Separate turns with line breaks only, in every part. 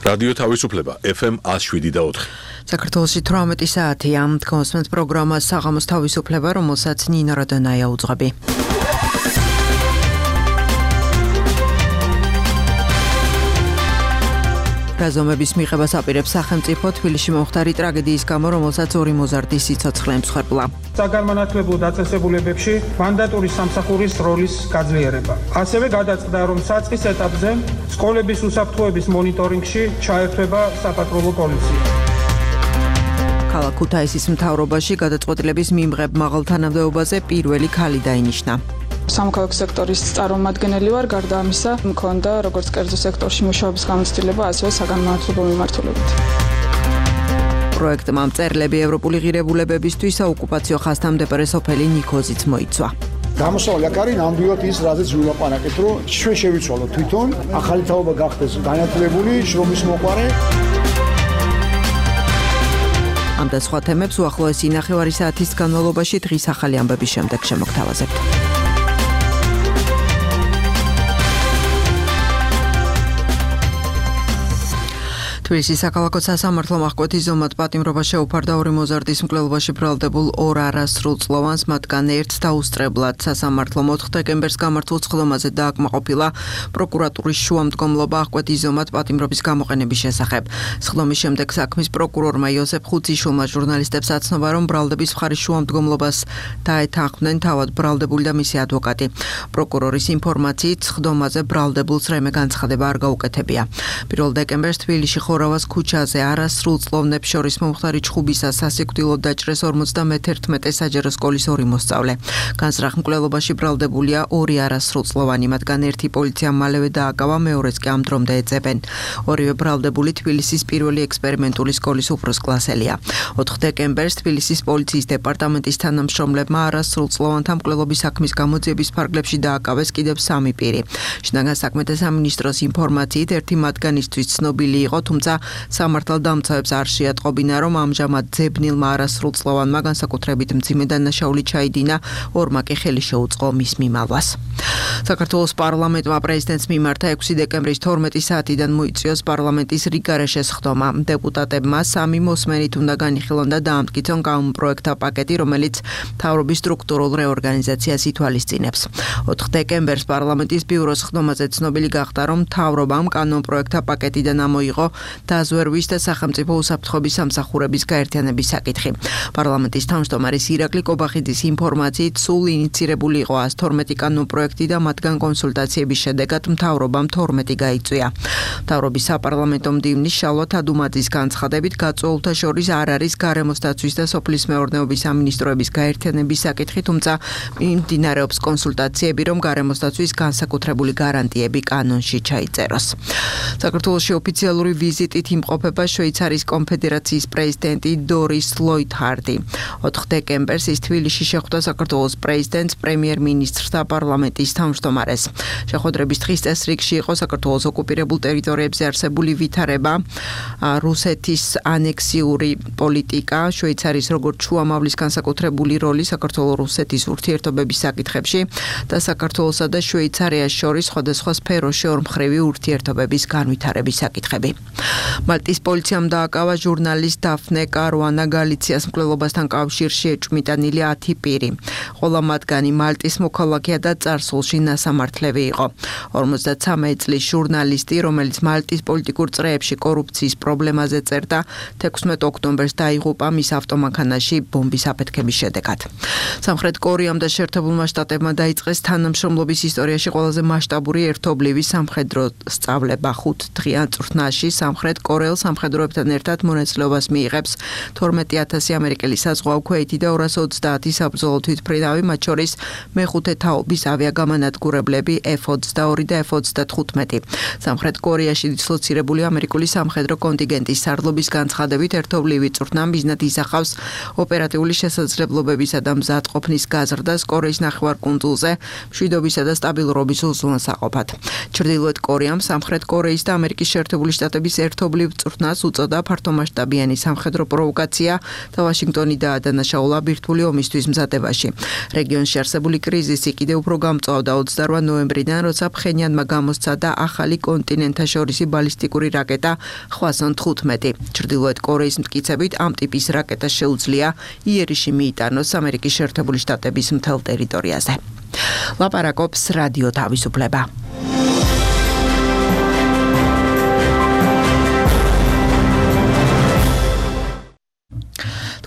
რადიო თავისუფლება FM 107.4.
საქართველოში 18 საათია. კონსმენთ პროგრამა საღამოს თავისუფლება, რომელსაც ნინა როდონაია უძღვები. რაზომების მიღებას აპირებს სახელმწიფო თბილისში მომხდარი ტრაგედიის გამო, რომელსაც 2 მოზარდი სიცოცხლე ემსხვერპლა.
საგანმანათლებლო დაწესებულებებში მანდატური სამსახურის როლის გაძლიერება. ასევე გადაწყდა, რომ საწყის ეტაპზე სკოლების უსაფრთხოების მონიტორინგში ჩაერთვება საპატრულო პოლიცია. ქალაქ
ქუთაისის მთავრობაში გადაწყვეტილების მიმღებ მაღალ თანამდებობაზე პირველი ქალი დაინიშნა.
სამოქალაქო სექტორის წარმომადგენელი ვარ, გარდა ამისა, მქონდა როგორც კერძო სექტორში მუშაობის გამოცდილება, ასევე საგანმანათლებლო მიმართულებით.
პროექტმა მწერლები ევროპული ღირებულებებისთვის საოკუპაციო ხაზთამდებარე სოფელი ნიქოზიც მოიცვა.
გამოსავალი აქ არის ნამდვილად ის, რაზეც ვილაპარაკეთ, რომ ჩვენ შევიცვალოთ თვითონ, ახალი თაობა გახდეს განათლებული, შრომის მოყვარე.
ამ და სხვა თემებს უახლოესი ნახევარი საათის განმავლობაში დღის ახალი ამბების შემდეგ შემოგთავაზებთ. თბილისის საქალაქო სასამართლომ აღკვეთის ზომად პატიმრობა შეუფარდა 2 მოზარდის მკვლელობაში ბრალდებულ 2 არასრულწლოვანს, მათგან ერთს დაუსწრებლად. სასამართლომ 4 დეკემბერს გამართულ სხდომაზე დააკმაყოფილა პროკურატურის შუამდგომლობა აღკვეთის ზომად პატიმრობის გამოყენების შესახებ. სხდომის შემდეგ საქმის პროკურორმა იოსებ ხუციშვილმა ჟურნალისტებს აცნობა, რომ ბრალდების მხარის შუამდგომლობას დაეთანხმდნენ თავად ბრალდებული და მისი ადვოკატი. პროკურორის ინფორმაციით სხდომაზე ბრალდებულს რემე განცხადება არ გაუკეთებია. 1 დეკემბერს თბილისში ხორავას ქუჩაზე არასრულწლოვნებს შორის მომხდარი ჩხუბისას სასიკვდილოდ დაჭრეს 51 საჯარო სკოლის 2 მოსწავლე. განზრახ მკვლელობაში ბრალდებულია 2 არასრულწლოვანი, მათგან ერთი პოლიციამ მალევე დააკავა, მეორეც კი ამ დრომდე ეძებენ. ორივე ბრალდებული თბილისის პირველი ექსპერიმენტული სკოლის უფროსკლასელია. 4 დეკემბერს თბილისის პოლიციის დეპარტამენტის თანამშრომლებმა არასრულწლოვანთა მკვლელობის საქმის გამოძიების ფარგლებში დააკავეს კიდევ 3 პირი. შინაგან საქმეთა სამინისტროს ინფორმაციით ერთი მათგანისთვის ცნობილი იყო, თუმცა სამართალდამცავებს არ შეატყობინა, რომ ამჟამად ძებნილმა არასრულწლოვანმა განსაკუთრებით მძიმე დანაშაული ჩაიდინა, 2-მა კი ხელი შეუწყო მის მიმალვას. საქართველოს პარლამენტმა პრეზიდენტს მიმართა 6 დეკემბრის 12 საათიდან მოიწვიოს პარლამენტის რიგარეშე სხდომა. დეპუტატებმა 3 მოსმენით უნდა განიხილონ და დაამტკიცონ კანონპროექტთა პაკეტი, რომელიც მთავრობის სტრუქტურულ რეორგანიზაციას ითვალისწინებს. 4 დეკემბერს პარლამენტის ბიუროს სხდომაზე ცნობილი გახდა, რომ მთავრობამ კანონპროექტთა პაკეტიდან ამოიღო დაზვერვის და სახელმწიფო უსაფრთხოების სამსახურების გაერთიანების საკითხი. პარლამენტის თავმჯდომარის ირაკლი კობახიძის ინფორმაციით სულ ინიცირებული იყო 112 კანონპროექტი და მათგან კონსულტაციების შედეგად მთავრობამ 12 გაიწვია. მთავრობის საპარლამენტო მდივნის შალვა თადუმაძის განცხადებით გაწვეულთა შორის არ არის გარემოს დაცვის და სოფლის მეურნეობის სამინისტროების გაერთიანების საკითხი, თუმცა მიმდინარეობს კონსულტაციები, რომ გარემოს დაცვის განსაკუთრებული გარანტიები კანონში ჩაიწეროს. საქართველოში ოფიციალური ვიზიტით იმყოფება შვეიცარიის კონფედერაციის პრეზიდენტი დორის ლოითჰარდი. 4 დეკემბერს ის თბილისში შეხვდა საქართველოს პრეზიდენტს, პრემიერ-მინისტრს და პარლამენტის თავმჯდომარეს. შეხვედრების დღის წესრიგში იყო საქართველოს ოკუპირებულ ტერიტორიებზე არსებული ვითარება, რუსეთის ანექსიური პოლიტიკა, შვეიცარიის როგორც შუამავლის განსაკუთრებული როლი საქართველოს-რუსეთის ურთიერთობების საკითხებში და საქართველოსა და შვეიცარიას შორის სხვადასხვა სფეროში ორმხრივი ურთიერთობების განვითარების საკითხები. მალტის პოლიციამ დააკავა ჟურნალისტ დაფნე კარუანა გალიციას მკვლელობასთან კავშირში ეჭვმიტანილი 10 პირი. ყველა მათგანი მალტის მოქალაქეა და წარსულში ნასამართლები იყო. 53 წლის ჟურნალისტი, რომელიც მალტის პოლიტიკურ წრეებში კორუფციის პრობლემაზე წერდა, 16 ოქტომბერს დაიღუპა მის ავტომანქანაში ბომბის აფეთქების შედეგად. სამხრეთ კორეამ და შეერთებულმა შტატებმა დაიწყეს თანამშრომლობის ისტორიაში ყველაზე მასშტაბური ერთობლივი სამხედრო სწავლება 5 დღიან წვრთნაში. სამხრეთ კორეელ სამხედროებთან ერთად მონაწილეობას მიიღებს 12,000 ამერიკელი საზღვაო ქვეითი და 230 საბრძოლო თვითმფრინავი, მათ შორის მე-5 თაობის ავიაგამანადგურებლები F-22 და F-35. სამხრეთ კორეაში დისლოცირებული ამერიკული სამხედრო კონტინგენტის სარდლობის განცხადებით ერთობლივი წვრთნა მიზნად ისახავს ოპერატიული შესაძლებლობებისა და მზადყოფნის გაზრდას კორეის ნახევარკუნძულზე მშვიდობისა და სტაბილურობის უზრუნველსაყოფად. ჩრდილოეთ კორეამ სამხრეთ კორეის და ამერიკის შეერთებული შტატების ერთობლივ წვრთნას უწოდა ფართომასშტაბიანი სამხედრო პროვოკაცია და ვაშინგტონი დაადანაშაულა ბირთვული ომისთვის მზადებაში. რეგიონში არსებული კრიზისი კიდევ უფრო გამწვავდა 28 ნოემბრიდან, როცა ფხენიანმა გამოსცადა ახალი კონტინენტთაშორისი ბალისტიკური რაკეტა ხვასან 15. ჩრდილოეთ კორეის მტკიცებით ამ ტიპის რაკეტა შეუძლია იერიში მიიტანოს ამერიკის შეერთებული შტატების მთელ ტერიტორიაზე. ლაპარაკობს რადიო თავისუფლება.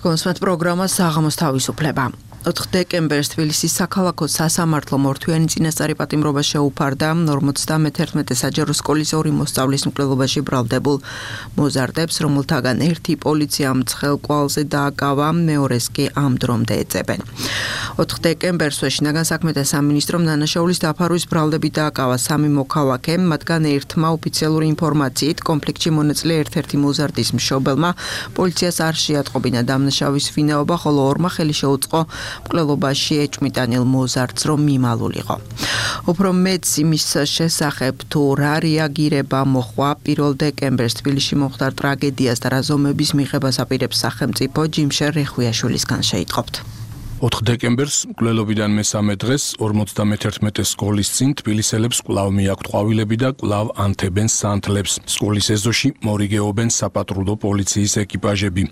კონსვენთ პროგრამა საღამოს თავისუფლება. 4 დეკემბერს თბილისის საქალაქო სასამართლო მორთვიანი წინასწარი პატიმრობა შეუფარდა 51 საჯარო სკოლის 2 მოსწავლის მკვლელობაში ბრალდებულ მოზარდებს, რომელთაგან ერთი პოლიციამ ცხელ კვალზე დააკავა, მეორეს კი ამ დრომდე ეძებენ. 4 დეკემბერს შინაგან საქმეთა სამინისტრომ დანაშაულის დაფარვის ბრალდებით დააკავა 3 მოქალაქე, მათგან ერთმა ოფიციალური ინფორმაციით კონფლიქტში მონაწილე ერთ-ერთი მოზარდის მშობელმა პოლიციას არ შეატყობინა დამნაშავის ვინაობა, ხოლო ორმა ხელი შეუწყო მკვლელობაში ეჭვმიტანილ მოზარდს რომ მიმალულიყო. უფრო მეც იმის შესახებ თუ რა რეაგირება მოხდა 1 დეკემბერს თბილისში მომხდარ ტრაგედიას და რა ზომების მიღებას აპირებს სახელმწიფო, ჯიმშერ რეხუიაშვილისგან შეიტყობთ.
4 დეკემბერს მკვლელობიდან მესამე დღეს 51 სკოლის წინ თბილისელებს კვლავ მიაქვთ ყვავილები და კვლავ ანთებენ სანთლებს. სკოლის ეზოში მორიგეობენ საპატრულო პოლიციის ეკიპაჟები.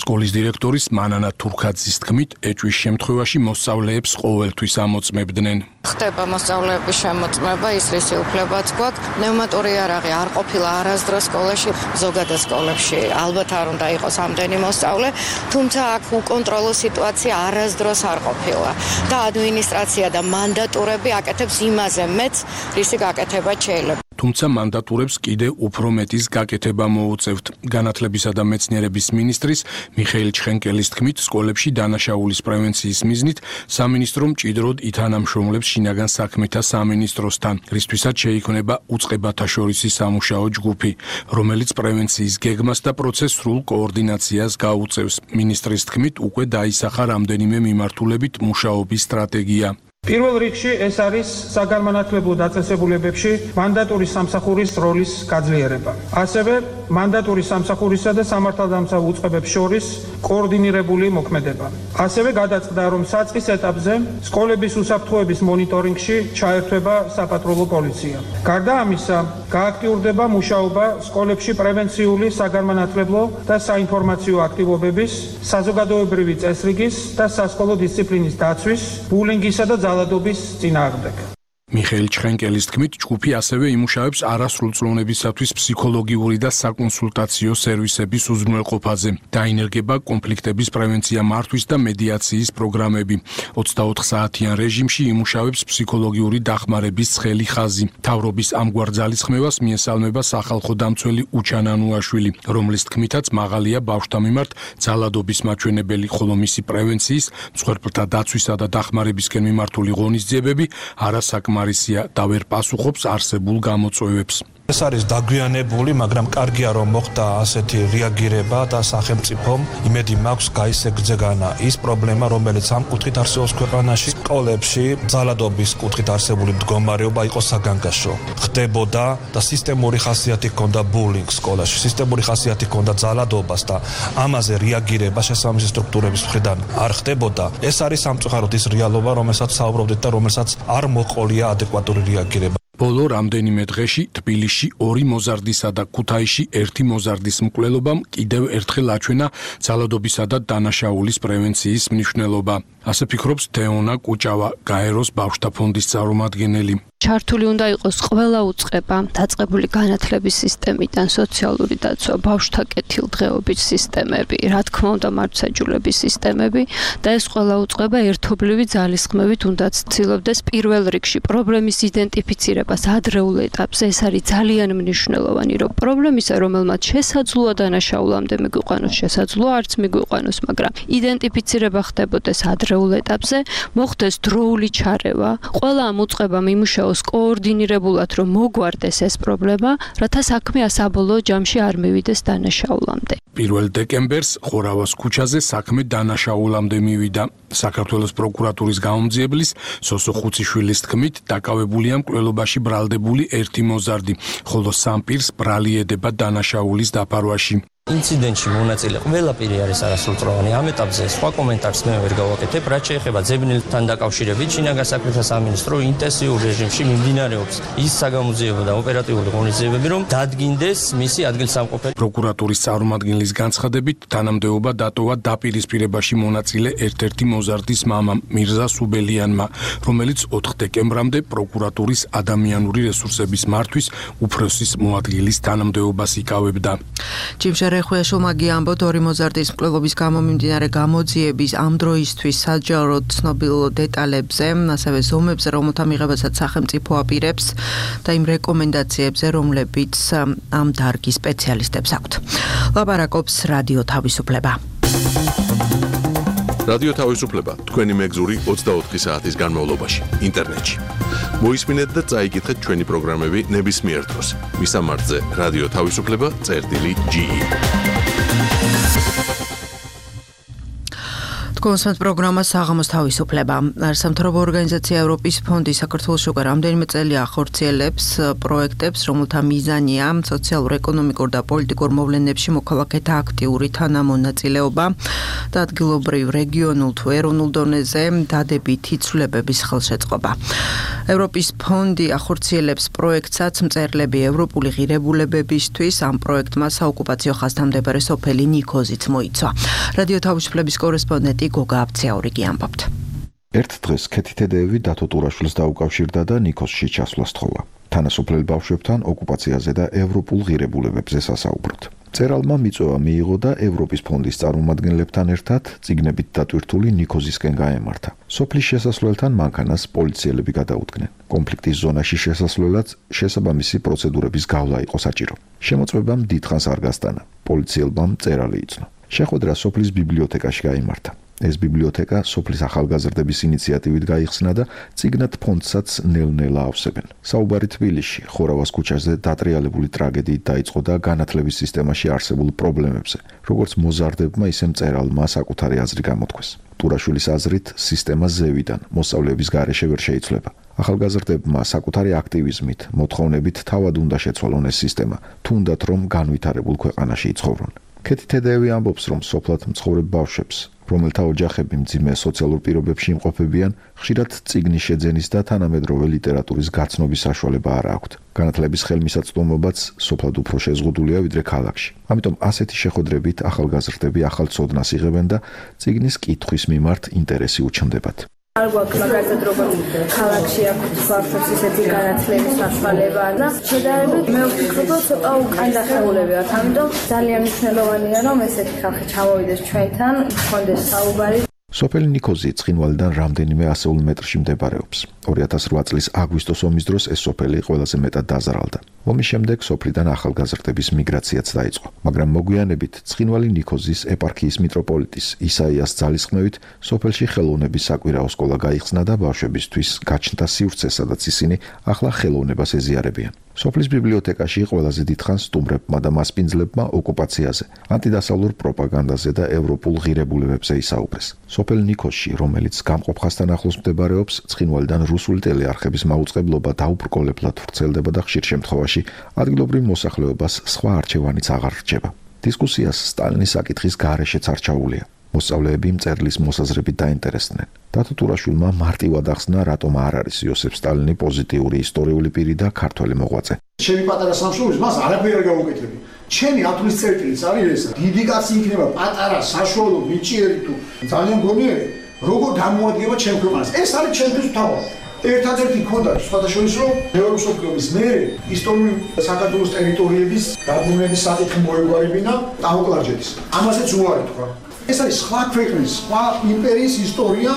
სკოლის დირექტორის მანანა თურქაძის თქმით, ეჭვის შემთხვევაში მოსწავლეებს ყოველთვის ამოწმებდნენ.
ხდება მოსწავლეების შემოწმება, ისრისი უფლებაც გვაქვს. პნევმატური იარაღი არ ყოფილა არასდროს სკოლაში, ზოგადად სკოლებში ალბათ არ უნდა იყოს ამდენი მოსწავლე, თუმცა აქ უკონტროლო სიტუაცია არასდროს არ ყოფილა და ადმინისტრაცია და მანდატურები აკეთებს იმაზე მეც, რისი გაკეთება შეიძლება.
თუმცა მანდატურებს კიდე უფრო მეტის გაკეთება მოუწევთ. განათლებისა და მეცნიერების მინისტრის მიხეილ ჩხენკელის თქმით, სკოლებში დანაშაულის პრევენციის მიზნით სამინისტრო მჭიდროდ ითანამშრომლებს შინაგან საქმეთა სამინისტროსთან, რისთვისაც შეიქმნება უწყებათა შორისი სამუშაო ჯგუფი, რომელიც პრევენციის გეგმას და პროცესს სრულ კოორდინაციას გაუწევს. მინისტრის თქმით, უკვე დაისახა რამდენიმე მიმართულებით მუშაობის სტრატეგია.
პირველ რიგში ეს არის საგანმანათლებლო დაწესებულებებში მანდატური სამსახურის როლის გაძლიერება. ასევე მანდატური სამსახურისა და სამართალდამცავ უწყებებს შორის კოორდინირებული მოქმედება. ასევე გადაწყდა, რომ საწყის ეტაპზე სკოლების უსაფრთხოების მონიტორინგში ჩაერთვება საპატრულო პოლიცია. გარდა ამისა, გააქტიურდება მუშაობა სკოლებში პრევენციული საგანმანათლებლო და საინფორმაციო აქტივობების, საზოგადოებრივი წესრიგის და სასკოლო დისციპლინის დაცვის, ბულინგისა და ძალადობის წინააღმდეგ.
მიხეილ ჩხენკელის თქმით, ჯგუფი ასევე იმუშავებს არასრულწლოვნებისათვის ფსიქოლოგიური და საკონსულტაციო სერვისების უზრუნველყოფაზე. დაინერგება კონფლიქტების პრევენცია მართვის და მედიაციის პროგრამები. 24 საათიან რეჟიმში იმუშავებს ფსიქოლოგიური დახმარების ცხელი ხაზი. მთავრობის ამგვარ ძალისხმევას მიესალმება სახალხო დამცველი უჩან ანუაშვილი, რომლის თქმითაც მაღალია ბავშვთა მიმართ ძალადობის მაჩვენებელი, ხოლო მისი პრევენციის, მსხვერპლთა დაცვისა და დახმარებისკენ მიმართული ღონისძიებები არასაკმარისია და ვერ პასუხობს არსებულ გამოწვევებს.
ეს არის დაგვიანებული, მაგრამ კარგია რომ მოხდა ასეთი რეაგირება და სახელმწიფომ იმედი მაქვს გაისეგზეგანა ის პრობლემა, რომელიც ამ კუთხით არსებობს ქვეყანაში. სკოლებში ძალადობის კუთხით არსებული მდგომარეობა იყო საგანგაშო. ხდებოდა და სისტემური ხასიათი ჰქონდა ბულინგ სკოლაში, სისტემური ხასიათი ჰქონდა ძალადობას და ამაზე რეაგირება შესაბამისი სტრუქტურების მხრიდან არ ხდებოდა. ეს არის სამწუხაროდ ის რეალობა, რომელსაც საუბრობდით და რომელსაც არ მოყოლია ადეკვატური რეაგირება.
ბოლო რამდენიმე დღეში თბილისში 2 მოზარდისა და ქუთაისში 1 მოზარდის მკვლელობამ კიდევ ერთხელ აჩვენა ძალადობისა და დანაშაულის პრევენციის მნიშვნელობა. ასე ფიქრობს თეონა კუჭავა, გაეროს ბავშვთა ფონდის წარმომადგენელი.
ჩართული უნდა იყოს ყველა უწყება, დაწყებული განათლების სისტემიდან, სოციალური დაცვა, ბავშვთა კეთილდღეობის სისტემები, რა თქმა უნდა მართლმსაჯულების სისტემები და ეს ყველა უწყება ერთობლივი ძალისხმევით უნდა ცდილობდეს პირველ რიგში პრობლემის იდენტიფიცირებას ადრეულ ეტაპზე. ეს არის ძალიან მნიშვნელოვანი, რომ პრობლემისა, რომელმაც შესაძლოა დანაშაულამდე მიგვიყვანოს, შესაძლოა არც მიგვიყვანოს, მაგრამ იდენტიფიცირება ხდებოდეს ადრეულ მიღწეულ ეტაპზე მოხდეს დროული ჩარევა, ყველა ამ უწყებამ იმუშაოს კოორდინირებულად, რომ მოგვარდეს ეს პრობლემა, რათა საქმე საბოლოო ჯამში არ მივიდეს დანაშაულამდე.
1 დეკემბერს ხორავას ქუჩაზე საქმე დანაშაულამდე მივიდა. საქართველოს პროკურატურის გამომძიებლის სოსო ხუციშვილის თქმით, დაკავებულია მკვლელობაში ბრალდებული ერთი მოზარდი, ხოლო სამ პირს ბრალი ედება დანაშაულის დაფარვაში.
ინციდენტში მონაწილე ყველა პირი არის არასრულწლოვანი. ამ ეტაპზე სხვა კომენტარს მე ვერ გავაკეთებ, რაც შეეხება ძებნელთან დაკავშირებით. შინაგან საქმეთა სამინისტრო ინტენსიურ რეჟიმში მიმდინარეობს ის საგამოძიებო და ოპერატიული ღონისძიებები, რომ დადგინდეს მისი ადგილსამყოფელი.
პროკურატურის წარმომადგენლის განცხადებით, თანამდებობა დატოვა დაპირისპირებაში მონაწილე ერთ-ერთი მოზარდის მამამ მირზა სუბელიანმა, რომელიც 4 დეკემბრამდე პროკურატურის ადამიანური რესურსების მართვის უფროსის მოადგილის თანამდებობას იკავებდა.
ხუიაშვილმა გიამბოთ, ორი მოზარდის მკვლელობის გამო მიმდინარე გამოძიების ამ დროისთვის საჯაროდ ცნობილ დეტალებზე, ასევე ზომებზე, რომელთა მიღებასაც სახელმწიფო აპირებს და იმ რეკომენდაციებზე, რომლებიც ამ დარგის სპეციალისტებს აქვთ. ლაპარაკობს რადიო თავისუფლება.
რადიო თავისუფლება თქვენი მეგზური 24 საათის განმავლობაში ინტერნეტში. მოისმინეთ და წაიკითხეთ ჩვენი პროგრამები ნებისმიერ დროს. მისამართზე რადიო თავისუფლება.ge.
კონსერტ პროგრამა საღამოს თავისუფლება. სამთავრობო ორგანიზაცია ევროპის ფონდი საქართველოს უკვე რამდენიმე წელია ახორციელებს პროექტებს, რომელთა მიზანია სოციალურ-ეკონომიკურ და პოლიტიკურ მოვლენებში მოქალაქეთა აქტიური თანამონაწილეობა და ადგილობრივ, რეგიონულ თუ ეროვნულ დონეზე დადებითი ცვლილებების ხელშეწყობა. ევროპის ფონდი ახორციელებს პროექტსაც მწერლები ევროპული ღირებულებებისთვის. ამ პროექტმა საოკუპაციო ხაზთან მდებარე სოფელი ნიქოზიც მოიცვა. რადიო თავისუფლების კორესპონდენტი გოგა აბცაური ამბობთ.
ერთ დღეს ქეთითედეევი დათო ტურაშვილს დაუკავშირდა და ნიქოზში ჩასვლა სთხოვა. თანასოფლელ ბავშვებთან ოკუპაციაზე და ევროპულ ღირებულებებზე სასაუბროთ. წერალმა მიწვევა მიიღო და ევროპის ფონდის წარმომადგენლებთან ერთად წიგნებით დატვირთული ნიქოზისკენ გაემართა. სოფლის შესასვლელთან მანქანას პოლიციელები გადაუდგნენ. კონფლიქტის ზონაში შესასვლელად შესაბამისი პროცედურების გავლა იყო საჭირო. შემოწმებამ დიდხანს არ გასტანა. პოლიციელმა წერალი იცნო. შეხვედრა სოფლის ბიბლიოთეკაში გაიმართა. ეს ბიბლიოთეკა სოფლის ახალგაზრდების ინიციატივით გაიხსნა და წიგნად ფონდსაც ნელ-ნელა ავსებენ. საუბარი თბილისში, ხორავას ქუჩაზე დატრიალებული ტრაგედიით დაიწყო და განათლების სისტემაში არსებულ პრობლემებზე, როგორც მოზარდებმა, ისე მწერალმა საკუთარი აზრი გამოთქვეს. ტურაშვილის აზრით, სისტემა ზევიდან, მოსწავლეების გარეშე ვერ შეიცვლება. ახალგაზრდებმა საკუთარი აქტივიზმით, მოთხოვნებით თავად უნდა შეცვალონ ეს სისტემა, თუნდაც რომ განვითარებულ ქვეყანაში იცხოვრონ. ქეთითედეევი ამბობს, რომ სოფლად მცხოვრებ ბავშვებს, რომელთა ოჯახები მძიმე სოციალურ პირობებში იმყოფებიან, ხშირად წიგნის შეძენის და თანამედროვე ლიტერატურის გაცნობის საშუალება არ აქვთ. განათლების ხელმისაწვდომობაც სოფლად უფრო შეზღუდულია ვიდრე ქალაქში. ამიტომ ასეთი შეხვედრებით ახალგაზრდები ახალ ცოდნას იღებენ და წიგნის კითხვის მიმართ ინტერესი უჩნდებათ.
არ გვაქვს მაგალითად როგორც ქალაქში აქვს ბავშვებს ისეთი განათლების საშუალება და შედარებით მე ვფიქრობ რომ ცოტა უკან დახეულები ვართ, ამიტომ ძალიან მნიშვნელოვანია რომ ესეთი ხალხი ჩამოვიდეს ჩვენთან, გქონდეს საუბარი.
სოფელი ნიქოზი ცხინვალიდან რამდენიმე ასეულ მეტრში მდებარეობს. 2008 წლის აგვისტოს ომის დროს ეს სოფელი ყველაზე მეტად დაზარალდა. ომის შემდეგ სოფლიდან ახალგაზრდების მიგრაციაც დაიწყო, მაგრამ მოგვიანებით ცხინვალი ნიქოზის ეპარქიის მიტროპოლიტის ისაიას ძალისხმევით სოფელში ხელოვნების საკვირაო სკოლა გაიხსნა და ბავშვებისთვის გაჩნდა სივრცე, სადაც ისინი ახლა ხელოვნებას ეზიარებიან. სოფლის ბიბლიოთეკაში ყველაზე დიდხანს სტუმრებმა და მასპინძლებმა ოკუპაციაზე, ანტიდასავლურ პროპაგანდაზე და ევროპულ ღირებულებებზე ისაუბრეს. სოფელ ნიქოზში, რომელიც გამყოფ ხაზთან ახლოს მდებარეობს, ცხინვალიდან რუსული ტელეარხების მაუწყებლობა დაუბრკოლებლად ვრცელდება და ხშირ შემთხვევაში ადგილობრივ მოსახლეობას სხვა არჩევანიც აღარ რჩება. დისკუსიას სტალინის საკითხის გარეშეც არ ჩაუვლია. მოსწავლეები მწერლის მოსაზრებით დაინტერესდნენ. დათო ტურაშვილმა მარტივად ახსნა, რატომ არ არის იოსებ სტალინი პოზიტიური ისტორიული პირი და ქართველი მოღვაწე.
ჩემი პატარა სამშობლოს მას არაფერი არ გავუკეთები. ჩემი ათვლის წერტილიც არის ეს. დიდი კაცი იქნება პატარა, საშუალო, ნიჭიერი თუ ძალიან გონიერი, როგორ გამოადგება ჩემ ქვეყანას. ეს არის ჩემთვის თავი. ერთადერთი ქონდა სხვადასხვის რომ მეორე მსოფლიოს მერე ისტორიული საქართველოს ტერიტორიების დაბრუნების საკითხი მოეგვარებინა ტაუკლარჯეთის. ამასაც უარი თქვა. ეს არის სხვა ქვეყნის, სხვა იმპერიის ისტორია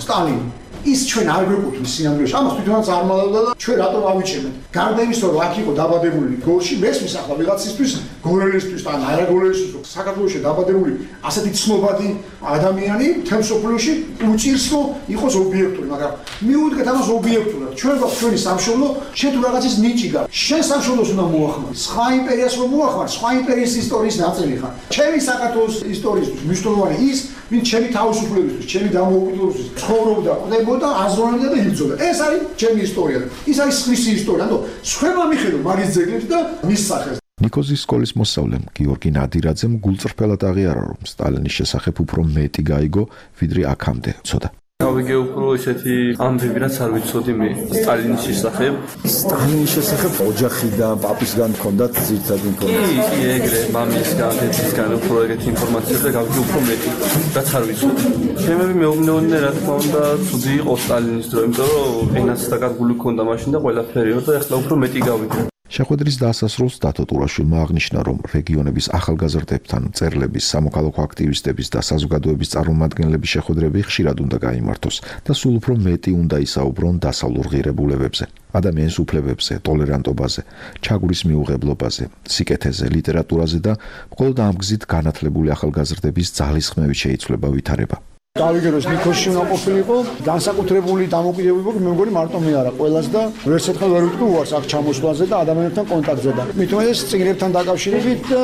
სტალინი. ის ჩვენ არ გვეკუთვნის სინამდვილეში. ამას თვითონაც არ მალავდა და ჩვენ რატომ ავიჩენეთ? გარდა იმისა, რომ აქ იყო დაბადებული გოლში, მესმის ახლა ვიღაცისთვის, გოლელისთვის ან არაგოლელისთვის, საქართველოში დაბადებული ასეთი ცნობადი ადამიანი მთელ მსოფლიოში უჭირს რომ იყოს ობიექტური, მაგრამ მიუდგეთ ამას ობიექტურად. ჩვენ გვაქვს ჩვენი სამშობლო, შენ თუ რაღაცის ნიჭი გაქვს, შენ სამშობლოს უნდა მოახმარ. სხვა იმპერიას რომ მოახმარ, სხვა იმპერიის ისტორიის ნაწილი ხარ. ჩემი საქართველოს ისტორიისთვის მნიშვნელოვანი ის, ვინ ჩემი თავისუფლებისთვის, ჩემი დამოუკიდებლობისთვის ცხოვრობდა, ყვდებოდა, აზროვნებდა და იბრძოდა. ეს არის ჩემი ისტორია. ის არის სხვისი ისტორია. ანუ სხვება მიხედო მაგის ძეგლებს და მის სახელს.
ნიკოზის სკოლის მოსწავლემ გიორგი ნადირაძემ გულწრფელად აღიარა, რომ სტალინის შესახებ უფრო მეტი გაიგო, ვიდრე აქამდე ცოდა.
გავიგე უფრო ესეთი ამბები, რაც არ ვიცოდი მე სტალინის შესახებ.
სტალინის შესახებ ოჯახიდან, პაპისგან ჰქონდათ ძირითადი ინფორმაცია.
კი, ეგრე, მამისგან, დედისგან უფრო ეგეთი ინფორმაცია და გავიგე უფრო მეტი, რაც არ ვიცოდი. ჩემები მეუბნეოდნენ, რა თქმა უნდა, ცუდი იყო სტალინის დრო, იმიტომ რომ ენაც დაკარგული ჰქონდა მაშინ და ყველაფერიო და ახლა უფრო მეტი გავიგე.
შეხვედრის დასასრულს დათო ტურაშვილმა აღნიშნა, რომ რეგიონების ახალგაზრდებთან მწერლების, სამოქალაქო აქტივისტების და საზოგადოების წარმომადგენლების შეხვედრები ხშირად უნდა გაიმართოს და სულ უფრო მეტი უნდა ისაუბრონ დასავლურ ღირებულებებზე, ადამიანის უფლებებზე, ტოლერანტობაზე, ჩაგვრის მიუღებლობაზე, სიკეთეზე, ლიტერატურაზე და მხოლოდ ამ გზით განათლებული ახალგაზრდების ძალისხმევით შეიცვლება ვითარება.
გავიგე რომ ნიკოსში უნდა ყოფილიყო განსაკუთრებული დამოკიდებულება მე მგონი მარტო მე არა ყველას და ვერც ერთხელ ვერ ვიტყვი უარს აქ ჩამოსვლაზე და ადამიანებთან კონტაქტზე და მით უმეტეს წიგნებთან დაკავშირებით და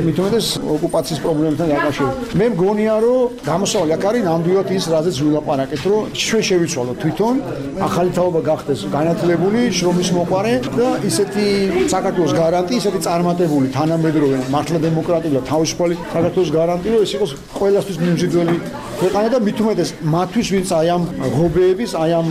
მით უმეტეს ოკუპაციის პრობლემებთან დაკავშირებით მე მგონია რომ გამოსავალი აქ არის ნამდვილად ის რაზეც ვილაპარაკეთ რომ ჩვენ შევიცვალოთ თვითონ ახალი თაობა გახდეს განათლებული შრომის მოყარე და ისეთი საქართველოს გარანტი ისეთი წარმატებული თანამედროვე მართლა დემოკრატიული და თავისუფალი საქართველოს გარანტი რომ ეს იყოს ყველასთვის მიმზიდველი ქვეყანა და მით უმეტეს მათთვის ვინც აი ამ ღობეების, აი ამ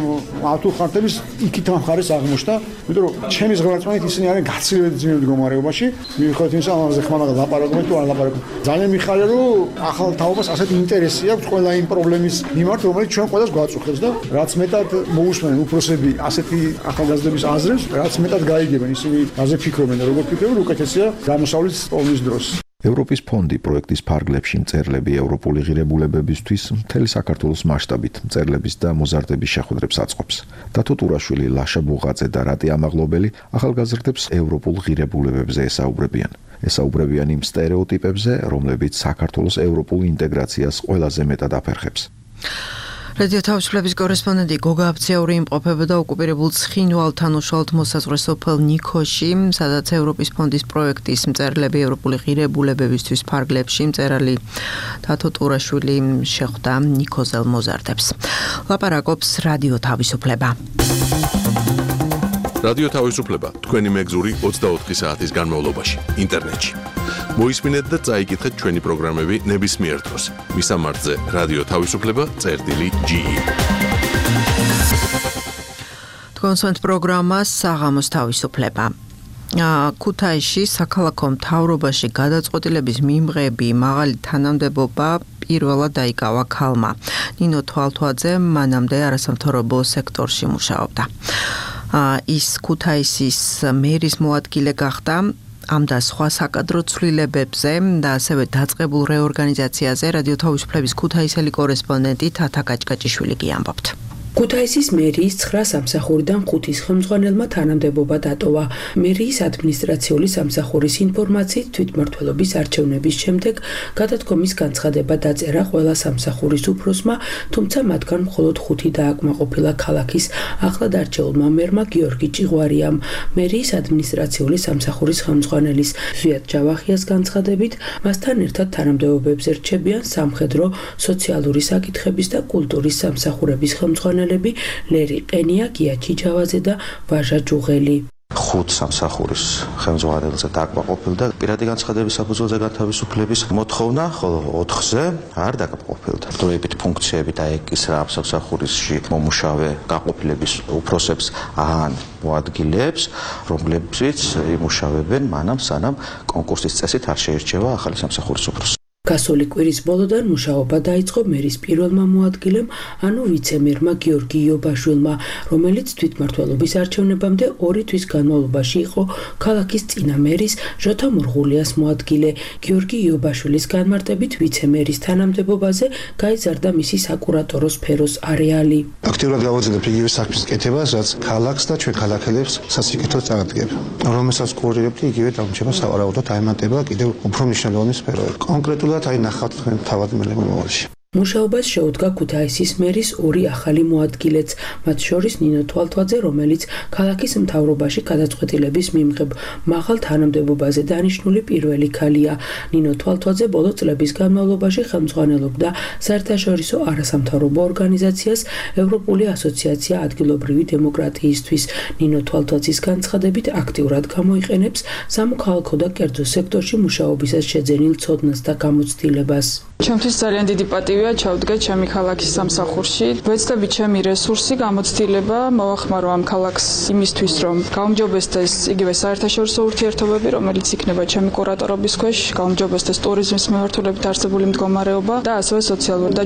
ავტოხარდების იქით ამ ხარეს აღმოჩნდა, იმიტომ რომ ჩემი ზღარწმენით ისინი არიან გაცილებით ძლიერ მდგომარეობაში. მიუხედავად იმისა, ამაზე ხმამაღლა ლაპარაკობენ თუ არ ლაპარაკობენ. ძალიან მიხარია რომ ახალ თაობას ასეთი ინტერესი აქვს ყველა იმ პრობლემის მიმართ, რომელიც ჩვენ ყველას გვაწუხებს და რაც მეტად მოусმენენ უფროსები ასეთი ახალგაზრდების აზრებს, რაც მეტად გაიგებენ ისინი რაზე ფიქრობენ და როგორ ფიქრობენ, უკეთესია გამოსავლის პოვნის დროს.
ევროპის ფონდი პროექტის ფარგლებში მწერლები ევროპული ღირებულებებისთვის მთელი საქართველოს მასშტაბით მწერლების და მოზარდების შეხვედრებს აწყობს. დათო ტურაშვილი, ლაშა ბუღაძე და რატი ამაღლობელი ახალგაზრდებს ევროპულ ღირებულებებზე ესაუბრებიან იმ სტერეოტიპებზე, რომლებიც საქართველოს ევროპულ ინტეგრაციას ყველაზე მეტად აფერხებს.
რადიო თავისუფლების კორესპონდენტი გოგა აბციური იმყოფებოდა ოკუპირებულ ცხინვალთან უშუალოდ მოსაზღვრე სოფელ ნიქოში, სადაც ევროპის ფონდის პროექტის მწერლები ევროპული ღირებულებებისთვის ფარგლებში მწერალი დათო ტურაშვილი შეხვდა ნიქოზელ მოზარდებს. ლაპარაკობს რადიო თავისუფლება.
რადიო თავისუფლება თქვენი მეგზური 24 საათის განმავლობაში ინტერნეტში. მოისმინეთ და წაიკითხეთ ჩვენი პროგრამები ნებისმიერ დროს. მისამართზე რადიო თავისუფლება.ge.
თქვენს პროგრამას საღამოს თავისუფლება. ქუთაისში საქალაქო მთავრობაში გადაწყვეტილების მიმღები მაღალი თანამდებობა პირველად დაიკავა ქალმა. ნინო თვალთვაძე მანამდე არასამთავრობო სექტორში მუშაობდა. ის ქუთაისის მერის მოადგილე გახდა. ამ და სხვა საკადრო ცვლილებებზე და ასევე დაწყებულ რეორგანიზაციაზე რადიო თავისუფლების ქუთაისელი კორესპონდენტი თათა კაჭკაჭიშვილი გიამბობთ.
ქუთაისის მერიის 9 სამსახურიდან 5-ის ხელმძღვანელმა თანამდებობა დატოვა. მერიის ადმინისტრაციული სამსახურის ინფორმაციით თვითმმართველობის არჩევნების შემდეგ გადადგომის განცხადება დაწერა ყველა სამსახურის უფროსმა, თუმცა მათგან მხოლოდ 5 დააკმაყოფილა ქალაქის ახლად არჩეულმა მერმა გიორგი ჭიღვარიამ. მერიის ადმინისტრაციული სამსახურის ხელმძღვანელის ზვიად ჯავახიას განცხადებით, მასთან ერთად თანამდებობებზე რჩებიან სამხედრო, სოციალური საკითხების და კულტურის სამსახურების ხელმძღვანელები ლერი ყენია, გია ჩიჩავაძე და ვაჟა ჯუღელი.
5 სამსახურის ხელმძღვანელზე დაკმაყოფილდა პირადი განცხადების საფუძველზე გათავისუფლების მოთხოვნა, ხოლო 4-ზე არ დაკმაყოფილდა. დროებით ფუნქციები და ის რა სამსახურისში მომუშავე გაყოფილების უფროსებს ან მოადგილეებს, რომლებიც იმუშავებენ მანამ სანამ კონკურსის წესით არ შეირჩევა ახალი სამსახურის უფროსი.
გასული კვირის ბოლოდან მუშაობა დაიწყო მერის პირველმა მოადგილემ, ანუ ვიცე-მერმა გიორგი იობაშვილმა, რომელიც თვითმმართველობის არჩევნებამდე 2 თვის განმავლობაში იყო ქალაქის წინა მერის ჟოთა მურღულიას მოადგილე. გიორგი იობაშვილის განმარტებით ვიცე-მერის თანამდებობაზე გაიზარდა მისი საკურატორო სფეროს არეალი.
აქტიურად გავაძლევთ იგივე საქმის კეთებას, რაც ქალაქს და ჩვენ ქალაქელებს სასიკეთოდ წარადგენს. რომელსაც კურირებთ, იგივე დამრჩება სავარაუდოდ აემატება კიდევ უფრო მნიშვნელოვანი სფეროები. კონკრეტულად აი ნახავთ თქვენ თავად მომავალში.
მუშაობას შეუდგა ქუთაისის მერის 2 ახალი მოადგილეც, მათ შორის ნინო თვალთვაძე, რომელიც ქალაქის მთავრობაში გადაწყვეტილების მიმღებ მაღალ თანამდებობაზე დანიშნული პირველი ქალია. ნინო თვალთვაძე ბოლო წლების განმავლობაში ხელმძღვანელობდა საერთაშორისო არასამთავრობო ორგანიზაციას ევროპული ასოციაცია ადგილობრივი დემოკრატიისთვის. ნინო თვალთვაძის განცხადებით აქტიურად გამოიყენებს სამოქალაქო და კერძო სექტორში მუშაობისას შეძენილ ცოდნას და გამოცდილებას.
ჩემთვის ძალიან დიდი პატივია ჩავდგა ჩემი ქალაქის სამსახურში. ვეცდები ჩემი რესურსი, გამოცდილება მოვახმარო ამ ქალაქს იმისთვის, რომ გაუმჯობესდეს იგივე საერთაშორისო ურთიერთობები, რომელიც იქნება ჩემი კურატორობის ქვეშ, გაუმჯობესდეს ტურიზმის მიმართულებით არსებული მდგომარეობა და ასევე სოციალური და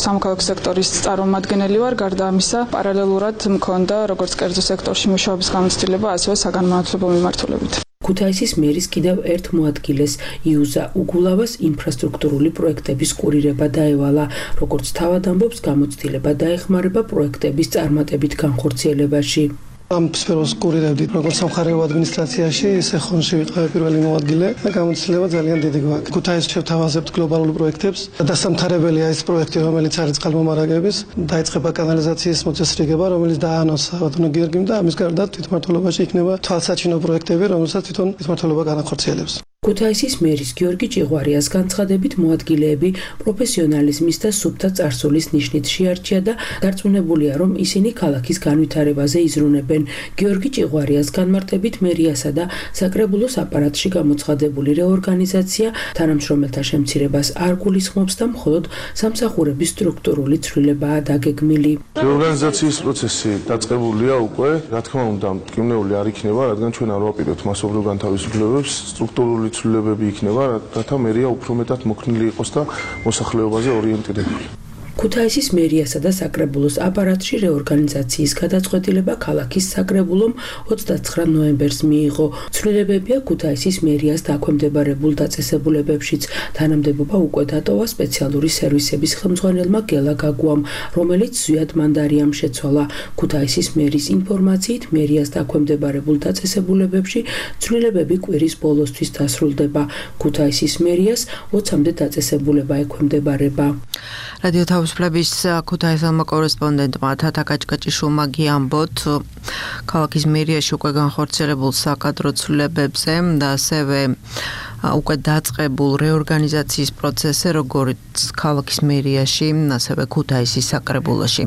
სამოქალაქო სექტორის წარმომადგენელი ვარ. გარდა ამისა, პარალელურად მქონდა როგორც კერძო სექტორში მუშაობის გამოცდილება, ასევე საგანმანათლებლო მიმართულებით.
ქუთაისის მერის კიდევ ერთ მოადგილეს იუზა უგულავას ინფრასტრუქტურული პროექტების კურირება დაევალა, როგორც თავად ამბობს, გამოცდილება დაეხმარება პროექტების წარმატებით განხორციელებაში.
ამ სფეროს კურირებდი როგორც სამხარეო ადმინისტრაციაში, ისე ხონში ვიყავი პირველი მოადგილე და გამოცდილება ძალიან დიდი გვაქვს. ქუთაისში შევთავაზებთ გლობალურ პროექტებს. დასამთავრებელია ეს პროექტი, რომელიც არის წყალმომარაგების, დაიწყება კანალიზაციის მოწესრიგება, რომელიც დაანონსა ბატონო გიორგიმ და ამის გარდა თვითმმართველობაში იქნება თვალსაჩინო პროექტები, რომელსაც თვითონ თვითმმართველობა განახორციელებს. ქუთაისის მერის გიორგი ჭიღვარიას განცხადებით მოადგილეები პროფესიონალიზმის და სუფთა წარსულის ნიშნით შეარჩია და დარწმუნებულია, რომ ისინი ქალაქის განვითარებაზე იზრუნებენ. გიორგი ჭიღვარიას განმარტებით მერიასა და საკრებულოს აპარატში გამოცხადებული რეორგანიზაცია თანამშრომელთა შემცირებას არ გულისხმობს და მხოლოდ სამსახურების სტრუქტურული ცვლილებაა დაგეგმილი.
რეორგანიზაციის პროცესი დაწყებულია უკვე, რა თქმა უნდა, მტკივნეული არ იქნება, რადგან ჩვენ არ ვაპირებთ მასობრივ განთავისუფლებებს, სტრუქტურული ცვლილებები იქნება, რათა მერია უფრო მეტად მოქნილი იყოს და მოსახლეობაზე ორიენტირებული.
ქუთაისის მერიასა და საკრებულოს აპარატში რეორგანიზაციის გადაწყვეტილება ქალაქის საკრებულომ 29 ნოემბერს მიიღო. ცვლილებებია ქუთაისის მერიას დაქვემდებარებულ დაწესებულებებშიც. თანამდებობა უკვე დატოვა სპეციალური სერვისების ხელმძღვანელმა გელა გაგუამ, რომელიც ზვიად მანდარიამ შეცვალა. ქუთაისის მერის ინფორმაციით, მერიას დაქვემდებარებულ დაწესებულებებში ცვლილებები კვირის ბოლოსთვის დასრულდება. ქუთაისის მერიას 20-მდე დაწესებულება ექვემდებარება.
რადიო თავისუფლების ქუთაისელმა კორესპონდენტმა თათა კაჭკაჭიშვილმა გიამბოთ ქალაქის მერიაში უკვე განხორციელებულ საკადრო ცვლილებებზე და ასევე უკვე დაწყებულ რეორგანიზაციის პროცესზე, როგორც ქალაქის მერიაში, ასევე ქუთაისის საკრებულოში.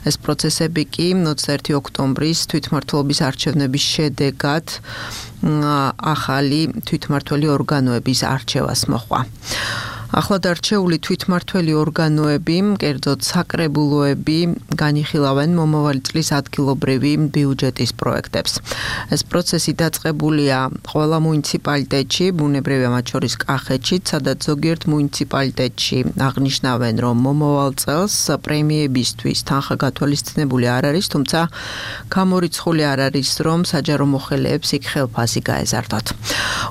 ეს პროცესები კი 21 ოქტომბრის თვითმმართველობის არჩევნების შედეგად ახალი თვითმმართველი ორგანოების არჩევას მოჰყვა. ახლად არჩეული თვითმმართველი ორგანოები, კერძოდ საკრებულოები, განიხილავენ მომავალი წლის ადგილობრივი ბიუჯეტის პროექტებს. ეს პროცესი დაწყებულია ყველა მუნიციპალიტეტში, ბუნებრივია მათ შორის კახეთშიც, სადაც ზოგიერთ მუნიციპალიტეტში აღნიშნავენ, რომ მომავალ წელს პრემიებისთვის თანხა გათვალისწინებული არ არის, თუმცა გამორიცხული არ არის, რომ საჯარო მოხელეებს იქ ხელფასი გაეზარდოთ.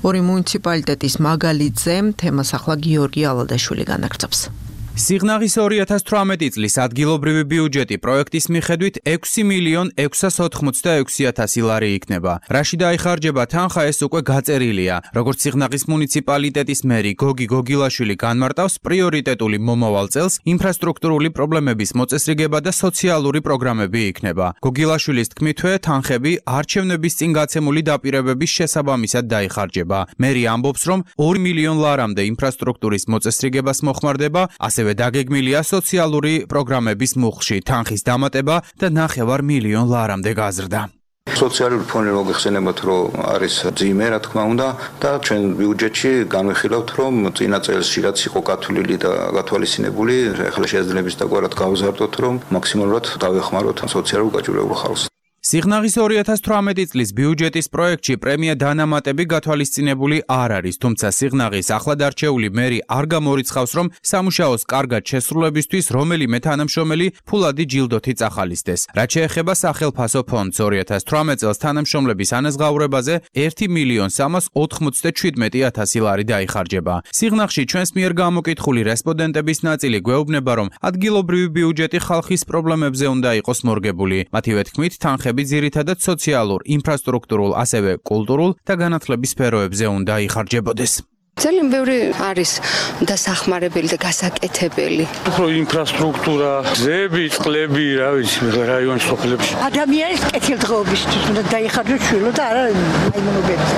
ორი მუნიციპალიტეტის მაგალითზე თემას ახლა გიორგი ალადაშვილი განაგრძობს.
სიღნაღის 2018 წლის ადგილობრივი ბიუჯეტი პროექტის მიხედვით 6,686,000 ლარი იქნება. რაში დაიხარჯება თანხა, ეს უკვე გაწერილია. როგორც სიღნაღის მუნიციპალიტეტის მერი გოგი გოგილაშვილი განმარტავს, პრიორიტეტული მომავალ წელს ინფრასტრუქტურული პრობლემების მოწესრიგება და სოციალური პროგრამები იქნება. გოგილაშვილის თქმითვე, თანხები არჩევნების წინ გაცემული დაპირებების შესაბამისად დაიხარჯება. მერი ამბობს, რომ 2 მილიონ ლარამდე ინფრასტრუქტურის მოწესრიგებას მოხმარდება, ასევე დაგეგმილია სოციალური პროგრამების მუხლში თანხის დამატება და 9 მილიონ ლარამდე გაზრდა.
სოციალური ფონი მოგეხსენებათ, რომ არის ძიმე, რა თქმა უნდა, და ჩვენ ბიუჯეტში განვიხილავთ, რომ წინა წელსში რაც იყო გათვლილი და გათვალისწინებული, ახლა შეძლებს დაგვარად გავზარდოთ, რომ მაქსიმალურად დავეხმაროთ სოციალურ გაჭირვებულ ხალხს.
სიღნაღის 2018 წლის ბიუჯეტის პროექტში პრემია დანამატები გათვალისწინებული არ არის, თუმცა სიღნაღის ახლად არჩეული მერი არ გამორიცხავს, რომ სამუშაოს კარგად შესრულებისთვის რომელიმე თანამშრომელი ფულადი ჯილდოთი წახალისდეს. რაც შეეხება სახელფასო ფონდს 2018 წელს თანამშრომლების ანაზღაურებაზე 1.397.000 ლარი დაიხარჯება. სიღნაღში ჩვენს მიერ გამოკითხული რესპონდენტების ნაწილი გვეუბნება, რომ ადგილობრივი ბიუჯეტი ხალხის პრობლემებზე უნდა იყოს მორგებული. მათივე თქმით, თანხები ძირითადად სოციალურ, ინფრასტრუქტურულ, ასევე კულტურულ და განათლების სფეროებზე უნდა იხარჯებოდეს.
ძალიან ბევრი არის დასახმარებელი და გასაკეთებელი.
უფრო ინფრასტრუქტურა, გზები, წყლები, რა ვიცი, რაიონის სოფლებში.
ადამიანის კეთილდღეობისთვის უნდა დაიხარჯოს შვილო და არა აიმონობებზე.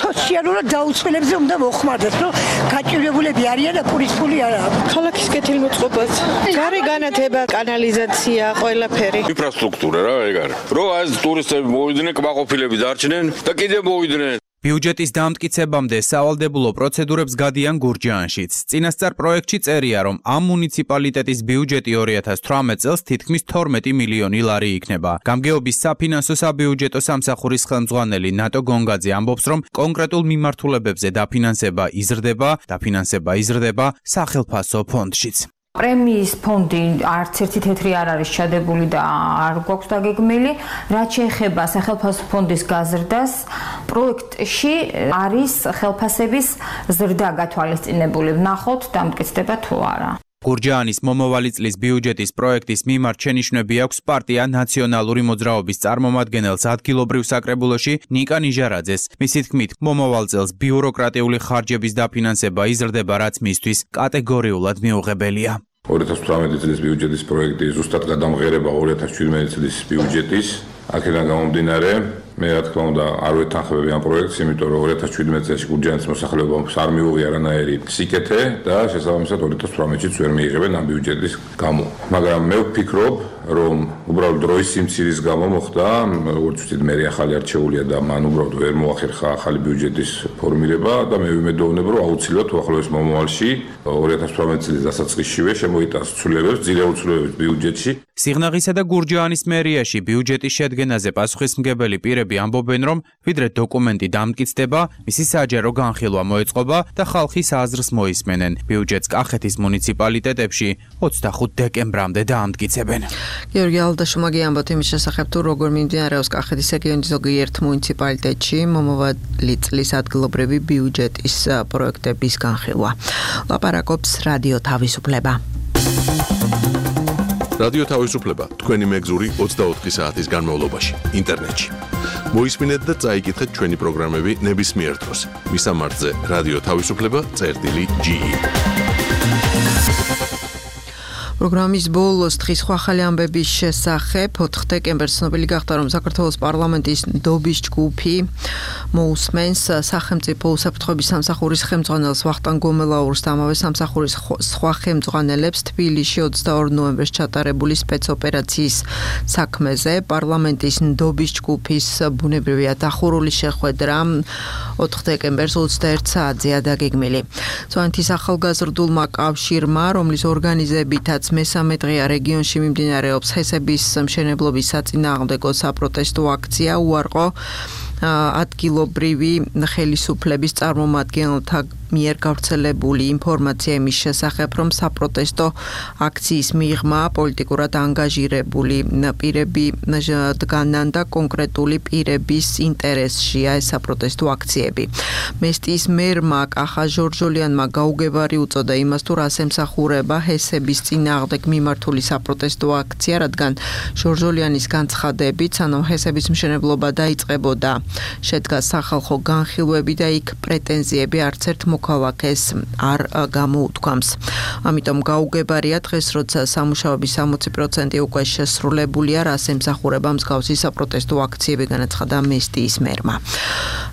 სოციალურად დაუცველებზე უნდა მოხმარდეს, რომ გაჭირებულები არიან და პურის ფული არ აქვს.
ქალაქის კეთილმოწყობაც, გარე განათება, კანალიზაცია, ყველაფერი.
ინფრასტრუქტურა რა ეგ არის. რო ეს ტურისტები მოვიდნენ, კმაყოფილები დარჩნენ და კიდევ მოვიდნენ.
ბიუჯეტის დამტკიცებამდე სავალდებულო პროცედურებს გადიან გურჯაანშიც. წინასწარ პროექტში წერია, რომ ამ მუნიციპალიტეტის ბიუჯეტი 2018 წელს თითქმის 12 მილიონი ლარი იქნება. გამგეობის საფინანსო საბიუჯეტო სამსახურის ხელმძღვანელი ნატო გონგაძე ამბობს, რომ კონკრეტულ მიმართულებებზე დაფინანსება იზრდება სახელფასო ფონდშიც.
პრემიის ფონდი არც ერთი თეთრი არ არის ჩადებული და არ გვაქვს დაგეგმილი. რაც შეეხება სახელფასო ფონდის გაზრდას, პროექტში არის ხელფასების ზრდა გათვალისწინებული. ვნახოთ, დამტკიცდება თუ არა.
გურჯაანის მომავალი წლის ბიუჯეტის პროექტის მიმართ შენიშვნები აქვს პარტია ნაციონალური მოძრაობის წარმომადგენელს ადგილობრივ საკრებულოში ნიკა ნიჟარაძეს. მისი თქმით, მომავალ წელს ბიუროკრატიული ხარჯების დაფინანსება იზრდება, რაც მისთვის კატეგორიულად მიუღებელია.
2018 წლის ბიუჯეტის პროექტი ზუსტად გადამღერება 2017 წლის ბიუჯეტის. აქედან გამომდინარე, მე რა თქმა უნდა არ ვეთანხმები ამ პროექტს, იმიტომ რომ 2017 წელს გურჯაანის მოსახლეობამ არ მიუღია არანაირი სიკეთე და შესაბამისად 2018-ში ვერ მიიღებენ ამ ბიუჯეტის გამო. მაგრამ მე ვფიქრობ, რომ უბრალოდ დროის სიმცირის გამო მოხდა, როგორც ვთქვით, მე ახალი არჩეულია და მან უბრალოდ ვერ მოახერხა ახალი ბიუჯეტის ფორმირება და მე ვიმედოვნებ, რომ აუცილებლად უახლოეს მომავალში 2018 წლის დასაწყისშივე შემოიტანს ცვლილებებს ძირეულ ცვლილებებს ბიუჯეტში.
სიღნაღისა და გურჯაანის მერიაში ბიუჯეტის შედგენაზე პასუხისმგებელი პირები ამბობენ, რომ ვიდრე დოკუმენტი დამტკიცდება, მისი საჯარო განხილვა მოეწყობა და ხალხის აზრს მოისმენენ. ბიუჯეტს კახეთის მუნიციპალიტეტებში 25 დეკემბრამდე დაამტკიცებენ.
გიორგი ალდაშუმაგი ამბობთ იმის შესახებ, თუ როგორ მიმდინარეობს კახეთის რეგიონის ზოგიერთ მუნიციპალიტეტში მომავალი წლის ადგილობრივი ბიუჯეტის პროექტების განხილვა. ლაპარაკობს რადიო თავისუფლება.
რადიო თავისუფლება თქვენი მეგზური 24 საათის განმავლობაში ინტერნეტში. მოისმინეთ და წაიკითხეთ ჩვენი პროგრამები ნებისმიერ დროს. მისამართზე რადიო თავისუფლება.ge.
პროგრამის ბოლოს დღის სხვა ახალი ამბების შესახებ 4 დეკემბერს ცნობილი გახდა, რომ საქართველოს პარლამენტის ნდობის ჯგუფი მოусმენს სახელმწიფო უსაფრთხოების სამსახურის ხელმძღვანელს ვახტანგ გომელაურს და ამავე სამსახურის სხვა ხელმძღვანელებს თბილისში 22 ნოემბერს ჩატარებული სპეცოპერაციის საქმეზე. პარლამენტის ნდობის ჯგუფის ბუნებრივია დახურული შეხვედრა 4 დეკემბერს 21 საათზეა დაგეგმილი. წვანეთის ახალგაზრდულმა კავშირმა, რომლის ორგანიზებითაც მესამე დღეა რეგიონში მიმდინარეობს ჰესების მშენებლობის საწინააღმდეგო საპროტესტო აქცია, უარყო ადგილობრივი ხელისუფლების წარმომადგენელთა მიერ გავრცელებული ინფორმაცია იმის შესახებ, რომ საპროტესტო აქციის მიღმა პოლიტიკურად ანგაჟირებული პირები დგანან და კონკრეტული პირების ინტერესშია ეს საპროტესტო აქციები. მესტიის მერმა კახა ჟორჟოლიანმა გაუგებარი უწოდა იმას, თუ რას ემსახურება ჰესების წინააღმდეგ მიმართული საპროტესტო აქცია, რადგან ჟორჟოლიანის განცხადებით, სანამ ჰესების მშენებლობა დაიწყებოდა, შედგა სახალხო განხილვები და იქ პრეტენზიები არც ერთ მოქალაქეს არ გამოუთქვამს. ამიტომ გაუგებარია დღეს, როცა სამუშაოების 60% უკვე შესრულებულია, რას ემსახურება მსგავსი საპროტესტო აქციები, განაცხადა მესტიის მერმა.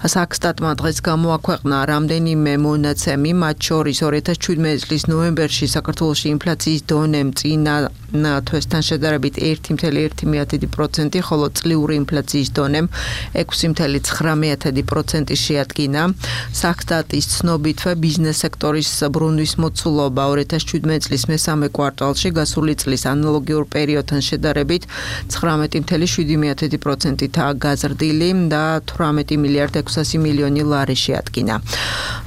საქსტატმა დღეს გამოაქვეყნა რამდენიმე მონაცემი, მათ შორის 2017 წლის ნოემბერში საქართველოში ინფლაციის დონემ წინა თვესთან შედარებით 1.1%, ხოლო წლიური ინფლაციის დონემ 6.9% შეადგინა. Საქსტატის ცნობითვე ბიზნეს სექტორის ბრუნვის მოცულობა 2017 წლის მესამე კვარტალში გასული წლის ანალოგიურ პერიოდთან შედარებით 19.7%-აა გაზრდილი და 18 მილიარდ 600 მილიონი ლარი შეადგინა.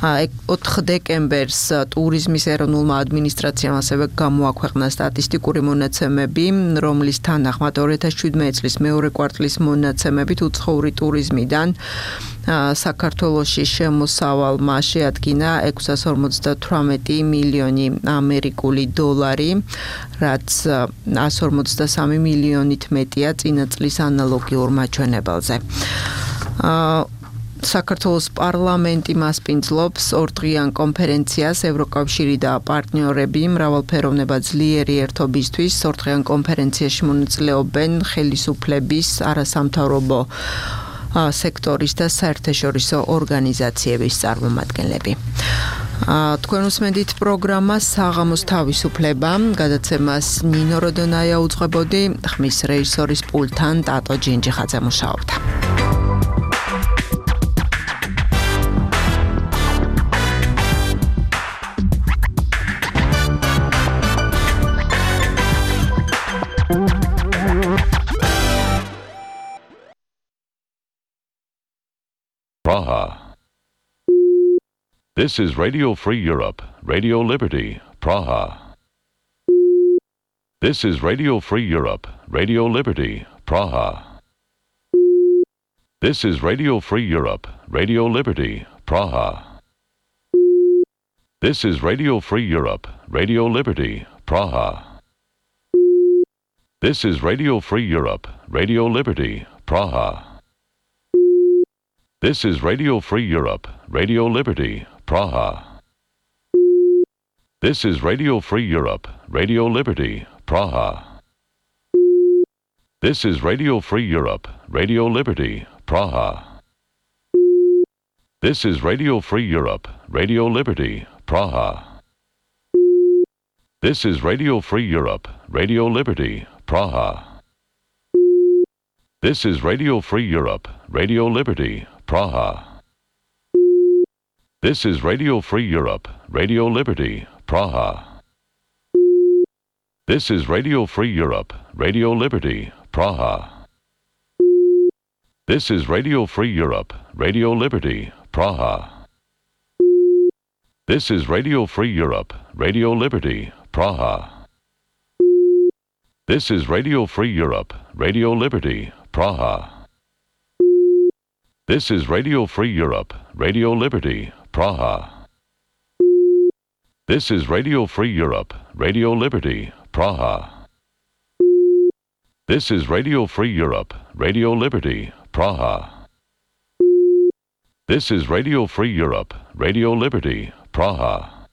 4 დეკემბერს ტურიზმის ეროვნულმა ადმინისტრაციამ ასევე გამოაქვეყნა სტატისტიკური მონაცემები, რომლის თანახმად 2017 წლის მეორე კვარტლის მონაცემებით უცხოური ტურიზმიდან საქართველოში შემოსავალმა შეადგინა 658 მილიონი ამერიკული დოლარი, რაც 153 მილიონით მეტია წინა წლის ანალოგიურ მაჩვენებელზე. საქართველოს პარლამენტი მასპინძლობს ორდღიან კონფერენციას ევროკავშირი და პარტნიორები მრავალფეროვნება ძლიერი ერთობისთვის. ორდღიან კონფერენციაში მონაწილეობენ ხელისუფლების, არასამთავრობო სექტორის და საერთაშორისო ორგანიზაციების წარმომადგენლები. თქვენ უსმენთ პროგრამას საღამოს თავისუფლება, გადაცემას ნინო როდონაია უძღვებოდი, ხმის რეჟისორის პულტთან ტატო ჯინჯიხაძე მუშაობდა.
Praha. This is Radio Free Europe, Radio Liberty, Praha. This is Radio Free Europe, Radio Liberty, Praha. This is Radio Free Europe, Radio Liberty, Praha. This is Radio Free Europe, Radio Liberty, Praha. This is Radio Free Europe, Radio Liberty, Praha. This is Radio Free Europe, Radio Liberty, Praha. This is Radio Free Europe, Radio Liberty, Praha. This is Radio Free Europe, Radio Liberty, Praha. This is Radio Free Europe, Radio Liberty, Praha. This is Radio Free Europe, Radio Liberty, Praha. This is Radio Free Europe, Radio Liberty, Praha. This is Radio Free Europe, Radio Liberty, Praha. This is Radio Free Europe, Radio Liberty, Praha. This is Radio Free Europe, Radio Liberty, Praha. This is Radio Free Europe, Radio Liberty, Praha. This is Radio Free Europe, Radio Liberty, Praha. This is Radio Free Europe, Radio Liberty, Praha. This is Radio Free Europe, Radio Liberty, Praha. This is Radio Free Europe, Radio Liberty, Praha. This is Radio Free Europe, Radio Liberty, Praha. This is Radio Free Europe, Radio Liberty, Praha.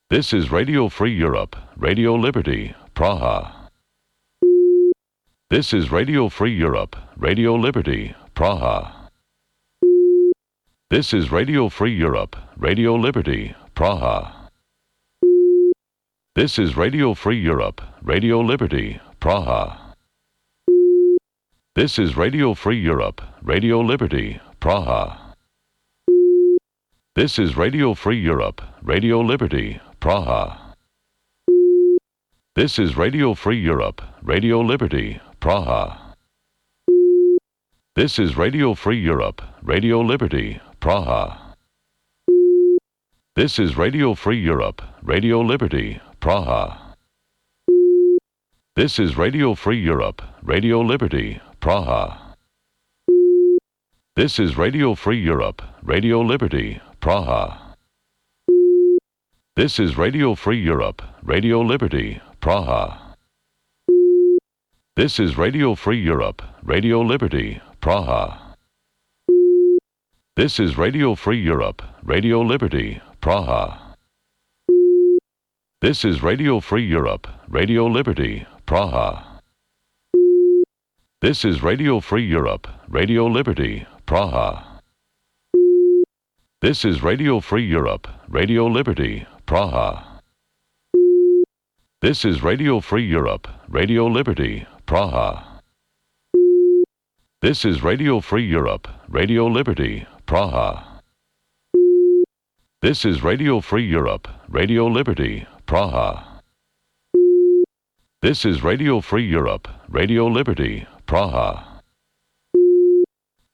This is Radio Free Europe, Radio Liberty, Praha. This is Radio Free Europe, Radio Liberty, Praha. This is Radio Free Europe, Radio Liberty, Praha. This is Radio Free Europe, Radio Liberty, Praha. This is Radio Free Europe, Radio Liberty, Praha. This is Radio Free Europe, Radio Liberty, Praha. This is Radio Free Europe, Radio Liberty, Praha. This is Radio Free Europe, Radio Liberty, Praha. This is Radio Free Europe, Radio Liberty, Praha. This is Radio Free Europe, Radio Liberty, Praha. This is Radio Free Europe, Radio Liberty, Praha. This is Radio Free Europe, Radio Liberty, Praha. This is Radio Free Europe, Radio Liberty, Praha. This is Radio Free Europe, Radio Liberty, Praha. This is Radio Free Europe, Radio Liberty, Praha. This is Radio Free Europe, Radio Liberty, Praha. This is Radio Free Europe, Radio Liberty, Praha. This is Radio Free Europe, Radio Liberty, Praha. This is Radio Free Europe, Radio Liberty, Praha. This is Radio Free Europe, Radio Liberty, Praha.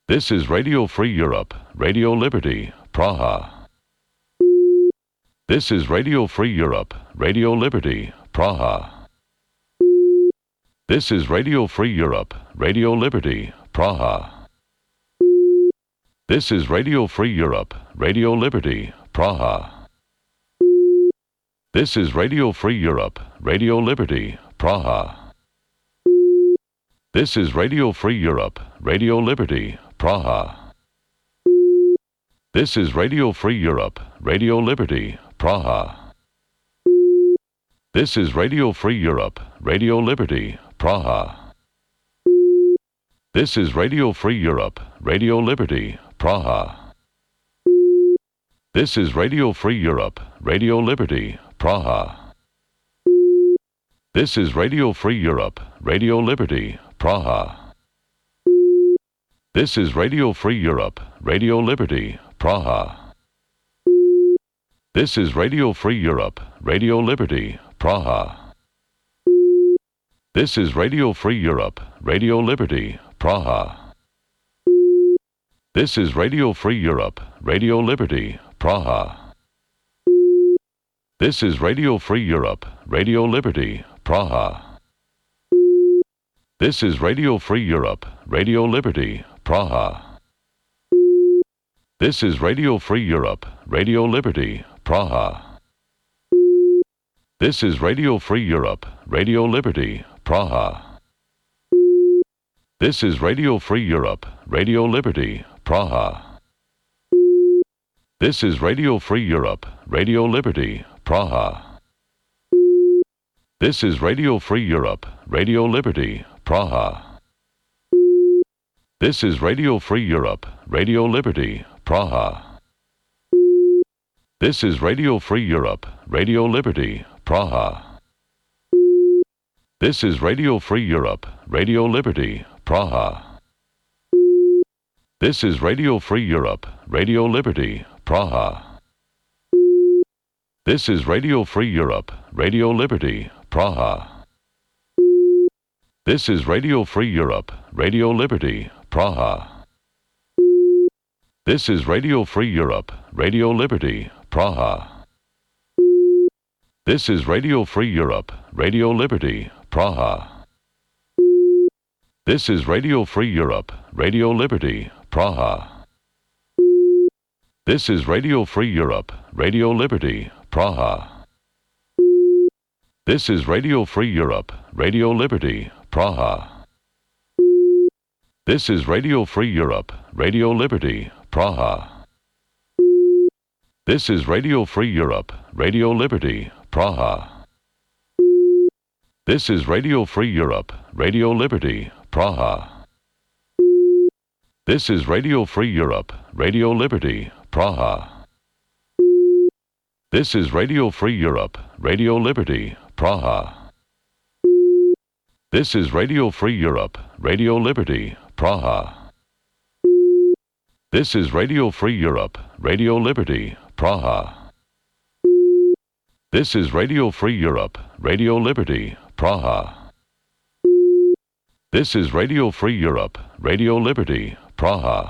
This is Radio Free Europe, Radio Liberty, Praha. This is Radio Free Europe, Radio Liberty, Praha. This is Radio Free Europe, Radio Liberty, Praha. This is Radio Free Europe, Radio Liberty, Praha. This is Radio Free Europe, Radio Liberty, Praha. This is Radio Free Europe, Radio Liberty, Praha. This is Radio Free Europe, Radio Liberty, Praha. This is Radio Free Europe, Radio Liberty, Praha. This is Radio Free Europe, Radio Liberty, Praha. This is Radio Free Europe, Radio Liberty, Praha. This is Radio Free Europe, Radio Liberty, Praha. This is Radio Free Europe, Radio Liberty, Praha. This is Radio Free Europe, Radio Liberty, Praha. This is Radio Free Europe, Radio Liberty, Praha. This is Radio Free Europe, Radio Liberty, Praha. This is Radio Free Europe, Radio Liberty, Praha. This is Radio Free Europe, Radio Liberty, Praha. This is Radio Free Europe, Radio Liberty, Praha. This is Radio Free Europe, Radio Liberty, Praha. This is Radio Free Europe, Radio Liberty, Praha. This is Radio Free Europe, Radio Liberty, Praha. This is Radio Free Europe, Radio Liberty, Praha. This is Radio Free Europe, Radio Liberty, Praha. This is Radio Free Europe, Radio Liberty, Praha. This is Radio Free Europe, Radio Liberty, Praha. This is Radio Free Europe, Radio Liberty, Praha. This is Radio Free Europe, Radio Liberty, Praha. This is Radio Free Europe, Radio Liberty, Praha. This is Radio Free Europe, Radio Liberty, Praha. This is Radio Free Europe, Radio Liberty, Praha. This is Radio Free Europe, Radio Liberty, Praha. This is Radio Free Europe, Radio Liberty, Praha. This is Radio Free Europe, Radio Liberty, Praha. This is Radio Free Europe, Radio Liberty, Praha. This is Radio Free Europe, Radio Liberty, Praha. This is Radio Free Europe, Radio Liberty, Praha. This is Radio Free Europe, Radio Liberty, Praha. This is Radio Free Europe, Radio Liberty, Praha. This is Radio Free Europe, Radio Liberty, Praha. This is Radio Free Europe, Radio Liberty, Praha. This is Radio Free Europe, Radio Liberty, Praha. This is Radio Free Europe, Radio Liberty, Praha.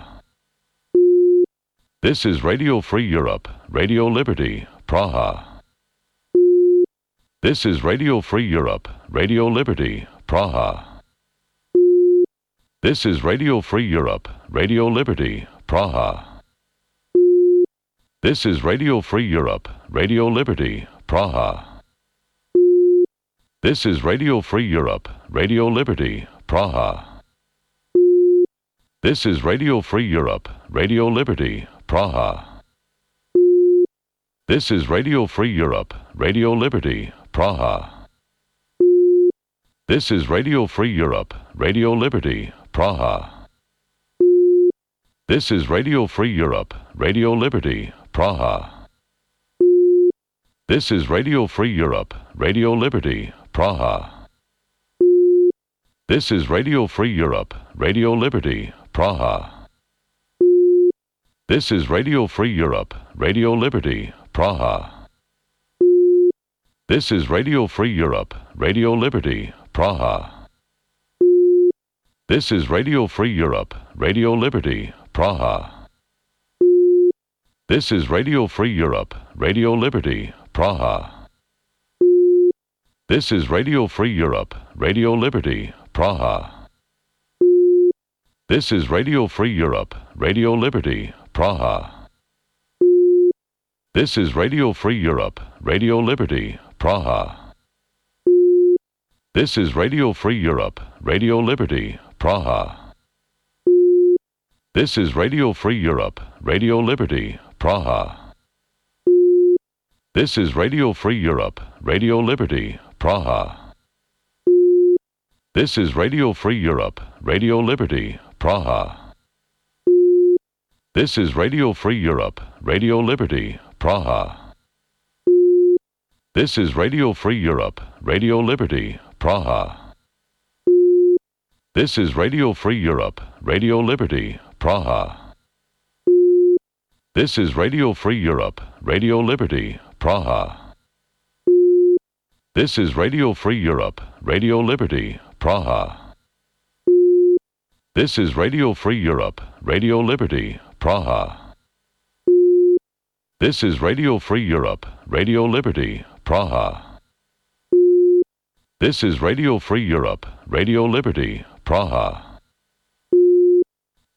This is Radio Free Europe, Radio Liberty, Praha. This is Radio Free Europe, Radio Liberty, Praha. This is Radio Free Europe, Radio Liberty, Praha. This is Radio Free Europe, Radio Liberty, Praha. This is Radio Free Europe, Radio Liberty, Praha. This is Radio Free Europe, Radio Liberty, Praha. This is Radio Free Europe, Radio Liberty, Praha. This is Radio Free Europe, Radio Liberty, Praha. This is Radio Free Europe, Radio Liberty, Praha. This is Radio Free Europe, Radio Liberty, Praha. This is Radio Free Europe, Radio Liberty, Praha. This is Radio Free Europe, Radio Liberty, Praha. This is Radio Free Europe, Radio Liberty, Praha. This is Radio Free Europe, Radio Liberty, Praha. This is Radio Free Europe, Radio Liberty, Praha. This is Radio Free Europe, Radio Liberty, Praha. This is Radio Free Europe, Radio Liberty, Praha. This is Radio Free Europe, Radio Liberty, Praha. This is Radio Free Europe, Radio Liberty, Praha. This is Radio Free Europe, Radio Liberty, Praha. This is Radio Free Europe, Radio Liberty, Praha. This is Radio Free Europe, Radio Liberty, Praha. This is Radio Free Europe, Radio Liberty, Praha. This is Radio Free Europe, Radio Liberty, Praha. This is Radio Free Europe, Radio Liberty, Praha. This is Radio Free Europe, Radio Liberty, Praha. This is Radio Free Europe, Radio Liberty, Praha. This is Radio Free Europe, Radio Liberty, Praha. This is Radio Free Europe, Radio Liberty, Praha. This is Radio Free Europe, Radio Liberty, Praha.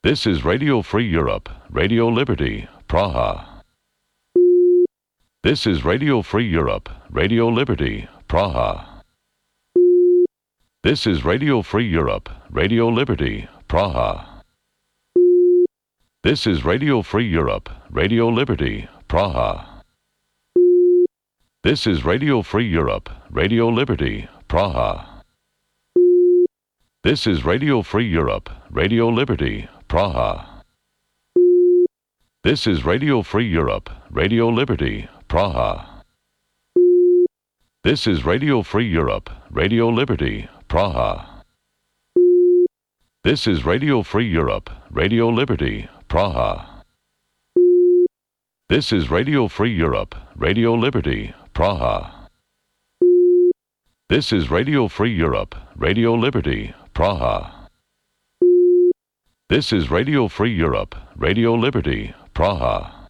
This is Radio Free Europe, Radio Liberty, Praha. This is Radio Free Europe, Radio Liberty, Praha. This is Radio Free Europe, Radio Liberty, Praha. This is Radio Free Europe, Radio Liberty, Praha. This is Radio Free Europe, Radio Liberty, Praha. This is Radio Free Europe, Radio Liberty, Praha. This is Radio Free Europe, Radio Liberty, Praha. This is Radio Free Europe, Radio Liberty, Praha. This is Radio Free Europe, Radio Liberty, Praha. This is Radio Free Europe, Radio Liberty, Praha. This is Radio Free Europe, Radio Liberty, Praha. This is Radio Free Europe, Radio Liberty, Praha.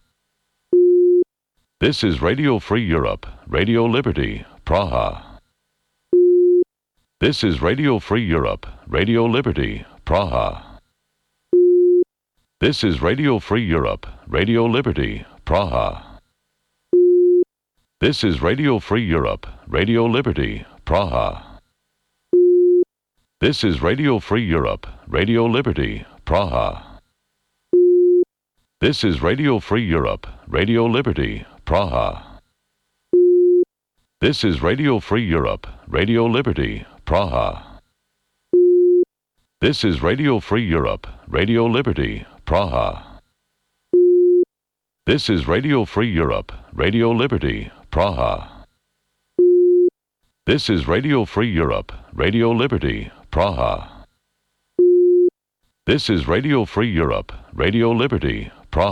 This is Radio Free Europe, Radio Liberty, Praha. This is Radio Free Europe, Radio Liberty, Praha. This is Radio Free Europe, Radio Liberty, Praha. This is Radio Free Europe, Radio Liberty, Praha. This is Radio Free Europe, Radio Liberty, Praha. This is Radio Free Europe, Radio Liberty, Praha. This is Radio Free Europe, Radio Liberty, Praha. This is Radio Free Europe, Radio Liberty, Praha. This is Radio Free Europe, Radio Liberty, Praha. This is Radio Free Europe, Radio Liberty, Praha. This is Radio Free Europe, Radio Liberty, Praha.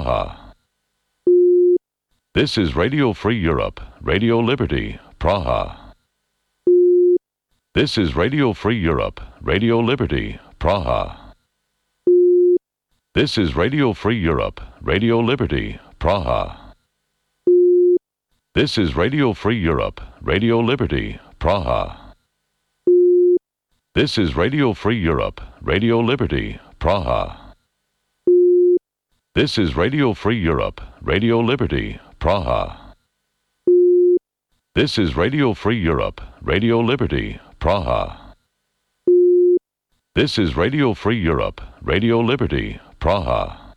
This is Radio Free Europe, Radio Liberty, Praha. This is Radio Free Europe, Radio Liberty, Praha. This is Radio Free Europe, Radio Liberty, Praha. This is Radio Free Europe, Radio Liberty, Praha. This is Radio Free Europe, Radio Liberty, Praha. This is Radio Free Europe, Radio Liberty, Praha. This is Radio Free Europe, Radio Liberty, Praha. This is Radio Free Europe, Radio Liberty, Praha.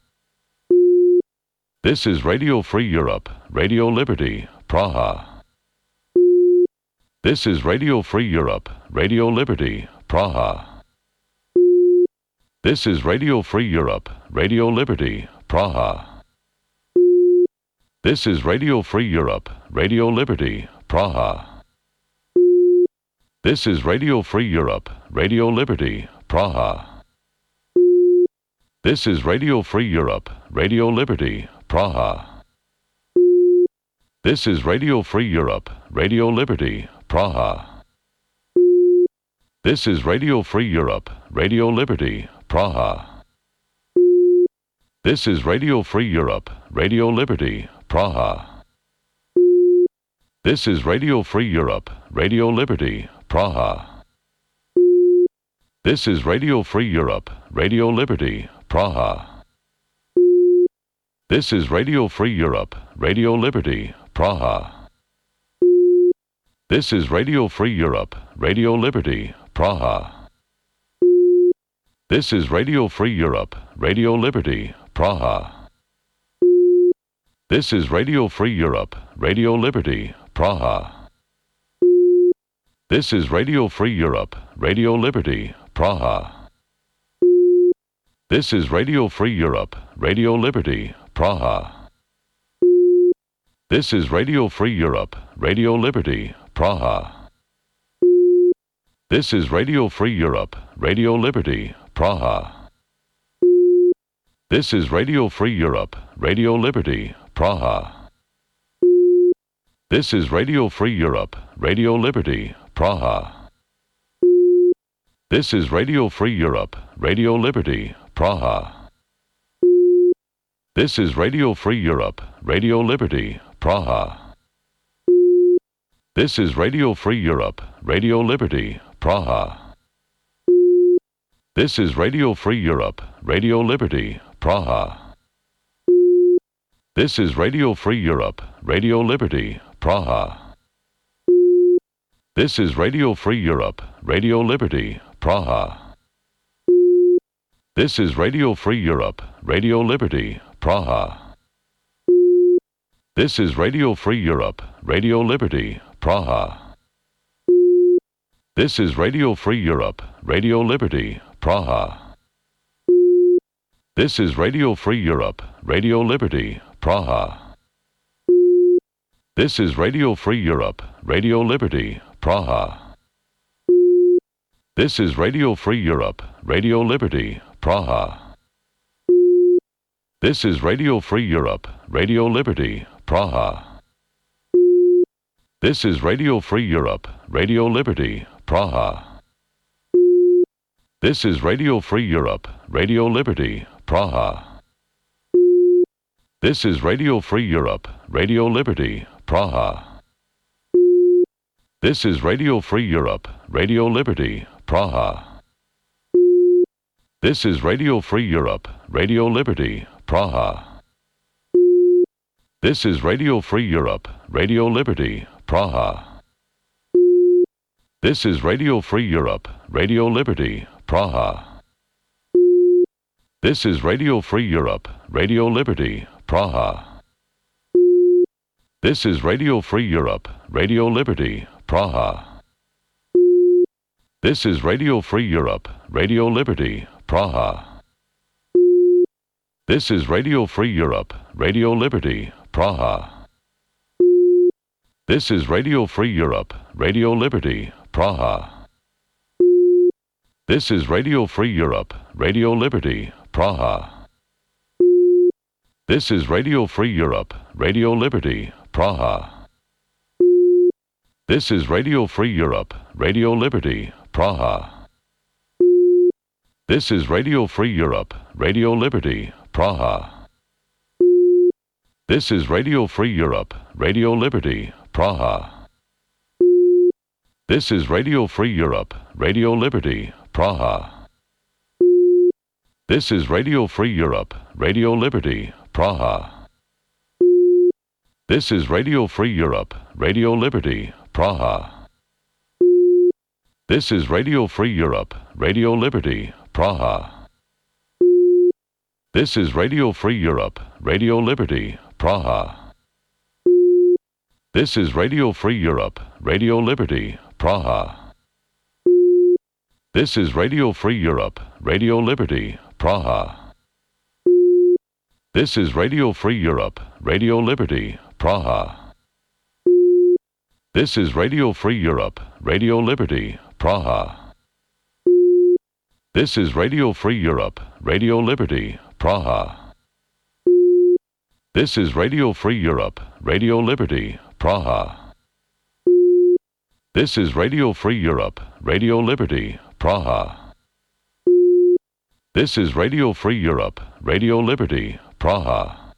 This is Radio Free Europe, Radio Liberty, Praha. This is Radio Free Europe, Radio Liberty, Praha. This is Radio Free Europe, Radio Liberty, Praha. This is Radio Free Europe, Radio Liberty, Praha. This is Radio Free Europe, Radio Liberty, Praha. This is Radio Free Europe, Radio Liberty, Praha. This is Radio Free Europe, Radio Liberty, Praha. This is Radio Free Europe, Radio Liberty, Praha. This is Radio Free Europe, Radio Liberty, Praha. This is Radio Free Europe, Radio Liberty, Praha. This is Radio Free Europe, Radio Liberty, Praha. This is Radio Free Europe, Radio Liberty, Praha. This is Radio Free Europe, Radio Liberty, Praha. This is Radio Free Europe, Radio Liberty, Praha. This is Radio Free Europe, Radio Liberty, Praha. This is Radio Free Europe, Radio Liberty, Praha. This is Radio Free Europe, Radio Liberty, Praha. This is Radio Free Europe, Radio Liberty, Praha. This is Radio Free Europe, Radio Liberty, Praha. This is Radio Free Europe, Radio Liberty, Praha. This is Radio Free Europe, Radio Liberty, Praha. This is Radio Free Europe, Radio Liberty, Praha. This is Radio Free Europe, Radio Liberty, Praha. This is Radio Free Europe, Radio Liberty, Praha. This is Radio Free Europe, Radio Liberty, Praha. This is Radio Free Europe, Radio Liberty, Praha. This is Radio Free Europe, Radio Liberty, Praha. This is Radio Free Europe, Radio Liberty, Praha. This is Radio Free Europe, Radio Liberty, Praha. This is Radio Free Europe, Radio Liberty, Praha. This is Radio Free Europe, Radio Liberty, Praha. This is Radio Free Europe, Radio Liberty, Praha. This is Radio Free Europe, Radio Liberty, Praha. This is Radio Free Europe, Radio Liberty, Praha. This is Radio Free Europe, Radio Liberty, Praha. This is Radio Free Europe, Radio Liberty, Praha. This is Radio Free Europe, Radio Liberty, Praha. This is Radio Free Europe, Radio Liberty, Praha. This is Radio Free Europe, Radio Liberty, Praha. This is Radio Free Europe, Radio Liberty, Praha. This is Radio Free Europe, Radio Liberty, Praha. This is Radio Free Europe, Radio Liberty, Praha. This is Radio Free Europe, Radio Liberty, Praha. This is Radio Free Europe, Radio Liberty, Praha. This is Radio Free Europe, Radio Liberty, Praha. This is Radio Free Europe, Radio Liberty, Praha. This is Radio Free Europe, Radio Liberty, Praha. This is Radio Free Europe, Radio Liberty, Praha. This is Radio Free Europe, Radio Liberty, Praha. This is Radio Free Europe, Radio Liberty, Praha. This is Radio Free Europe, Radio Liberty, Praha. This is Radio Free Europe, Radio Liberty, Praha. This is Radio Free Europe, Radio Liberty, Praha. This is Radio Free Europe, Radio Liberty, Praha. This is Radio Free Europe, Radio Liberty, Praha. This is Radio Free Europe, Radio Liberty, Praha. This is Radio Free Europe, Radio Liberty, Praha. This is Radio Free Europe, Radio Liberty, Praha. This is Radio Free Europe, Radio Liberty, Praha. This is Radio Free Europe, Radio Liberty, Praha. This is Radio Free Europe, Radio Liberty, Praha. This is Radio Free Europe, Radio Liberty, Praha. This is Radio Free Europe, Radio Liberty, Praha. This is Radio Free Europe, Radio Liberty, Praha.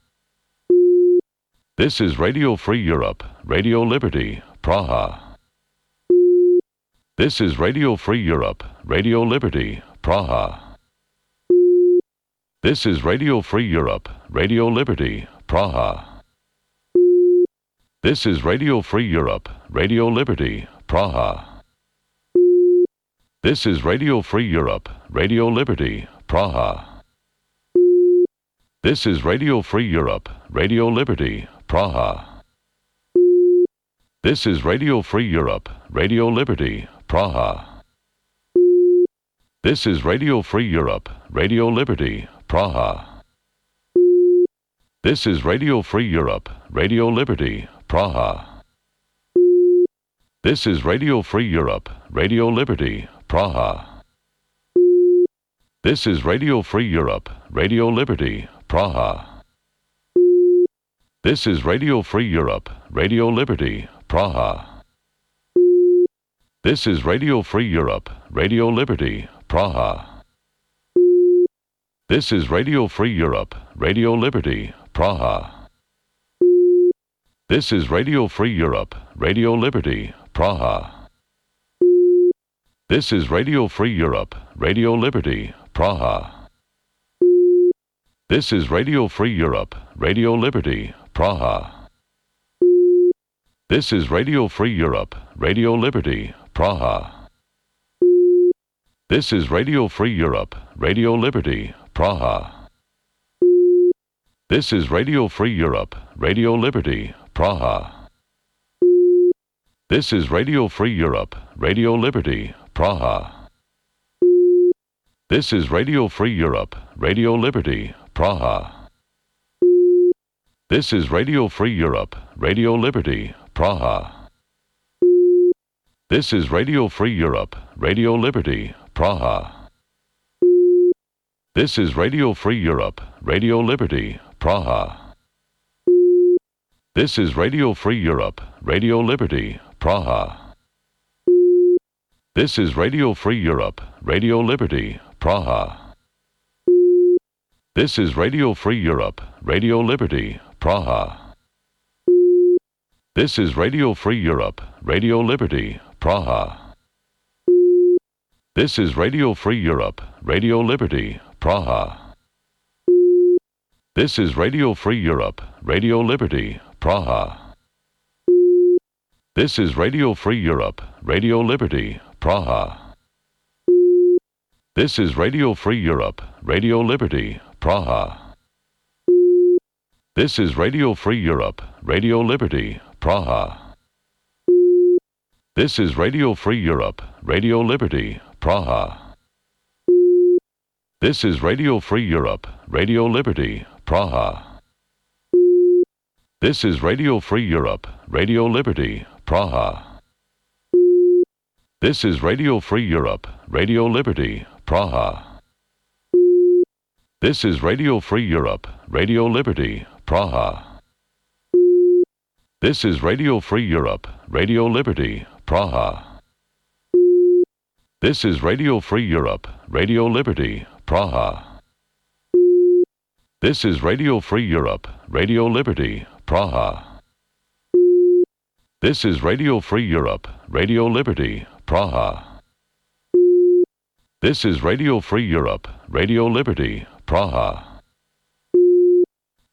This is Radio Free Europe, Radio Liberty, Praha. This is Radio Free Europe, Radio Liberty, Praha. This is Radio Free Europe, Radio Liberty, Praha. This is Radio Free Europe, Radio Liberty, Praha. This is Radio Free Europe, Radio Liberty, Praha. This is Radio Free Europe, Radio Liberty, Praha. This is Radio Free Europe, Radio Liberty, Praha. This is Radio Free Europe, Radio Liberty, Praha. This is Radio Free Europe, Radio Liberty, Praha. This is Radio Free Europe, Radio Liberty, Praha. This is Radio Free Europe, Radio Liberty, Praha. This is Radio Free Europe, Radio Liberty, Praha. This is Radio Free Europe, Radio Liberty, Praha. This is Radio Free Europe, Radio Liberty, Praha. This is Radio Free Europe, Radio Liberty, Praha. This is Radio Free Europe, Radio Liberty, Praha. This is Radio Free Europe, Radio Liberty, Praha. This is Radio Free Europe, Radio Liberty, Praha. This is Radio Free Europe, Radio Liberty, Praha. This is Radio Free Europe, Radio Liberty, Praha. This is Radio Free Europe, Radio Liberty, Praha. This is Radio Free Europe, Radio Liberty, Praha. This is Radio Free Europe, Radio Liberty, Praha. This is Radio Free Europe, Radio Liberty, Praha. This is Radio Free Europe, Radio Liberty, Praha. This is Radio Free Europe, Radio Liberty, Praha. This is Radio Free Europe, Radio Liberty, Praha. This is Radio Free Europe, Radio Liberty, Praha. This is Radio Free Europe, Radio Liberty, Praha. This is Radio Free Europe, Radio Liberty, Praha. This is Radio Free Europe, Radio Liberty, Praha. This is Radio Free Europe, Radio Liberty, Praha. This is Radio Free Europe, Radio Liberty, Praha. This is Radio Free Europe, Radio Liberty, Praha. This is Radio Free Europe, Radio Liberty, Praha. This is Radio Free Europe, Radio Liberty, Praha. This is Radio Free Europe, Radio Liberty, Praha. This is Radio Free Europe, Radio Liberty, Praha. This is Radio Free Europe, Radio Liberty, Praha. This is Radio Free Europe, Radio Liberty, Praha. This is Radio Free Europe, Radio Liberty, Praha. This is Radio Free Europe, Radio Liberty, Praha. This is Radio Free Europe, Radio Liberty, Praha. This is Radio Free Europe, Radio Liberty, Praha.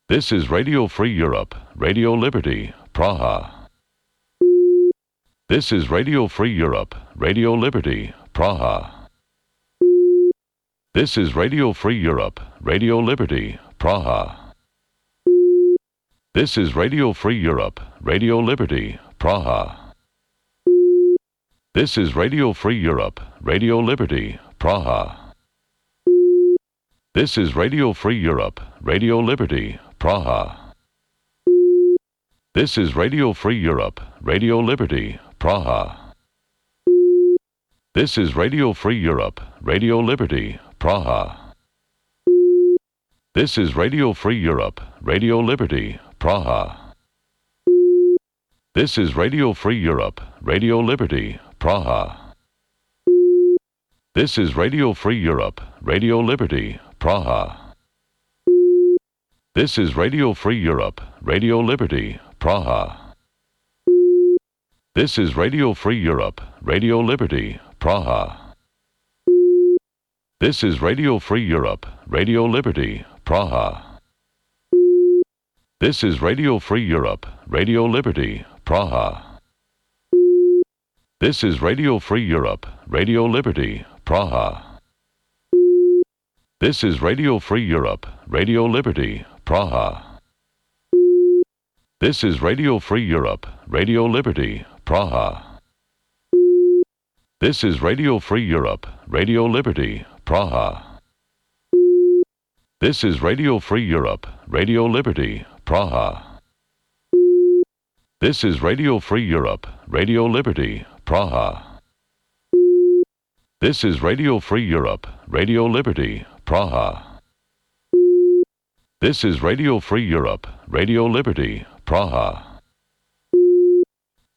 This is Radio Free Europe, Radio Liberty, Praha. This is Radio Free Europe, Radio Liberty, Praha. This is Radio Free Europe, Radio Liberty, Praha. This is Radio Free Europe, Radio Liberty, Praha. This is Radio Free Europe, Radio Liberty, Praha. This is Radio Free Europe, Radio Liberty, Praha. This is Radio Free Europe, Radio Liberty, Praha. This is Radio Free Europe, Radio Liberty, Praha. This is Radio Free Europe, Radio Liberty, Praha. This is Radio Free Europe, Radio Liberty, Praha. This is Radio Free Europe, Radio Liberty, Praha. This is Radio Free Europe, Radio Liberty, Praha. This is Radio Free Europe, Radio Liberty, Praha. This is Radio Free Europe, Radio Liberty, Praha. This is Radio Free Europe, Radio Liberty, Praha. This is Radio Free Europe, Radio Liberty, Praha. This is Radio Free Europe, Radio Liberty, Praha. This is Radio Free Europe, Radio Liberty, Praha. This is Radio Free Europe, Radio Liberty, Praha. This is Radio Free Europe, Radio Liberty, Praha. This is Radio Free Europe, Radio Liberty, Praha. This is Radio Free Europe, Radio Liberty, Praha. This is Radio Free Europe, Radio Liberty, Praha.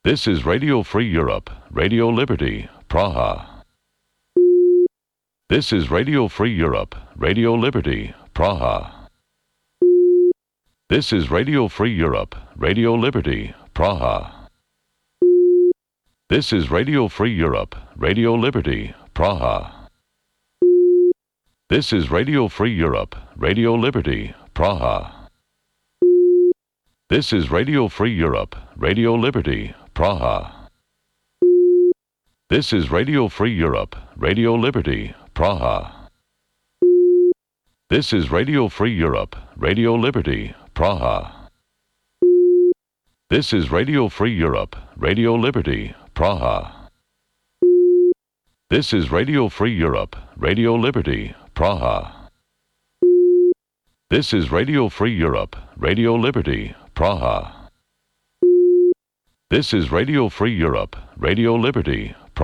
This is Radio Free Europe, Radio Liberty, Praha. This is Radio Free Europe, Radio Liberty, Praha. This is Radio Free Europe, Radio Liberty, Praha. This is Radio Free Europe, Radio Liberty, Praha. This is Radio Free Europe, Radio Liberty, Praha. This is Radio Free Europe, Radio Liberty, Praha. This is Radio Free Europe, Radio Liberty, Praha. This is Radio Free Europe, Radio Liberty, Praha. This is Radio Free Europe, Radio Liberty, Praha. This is Radio Free Europe, Radio Liberty, Praha. This is Radio Free Europe, Radio Liberty,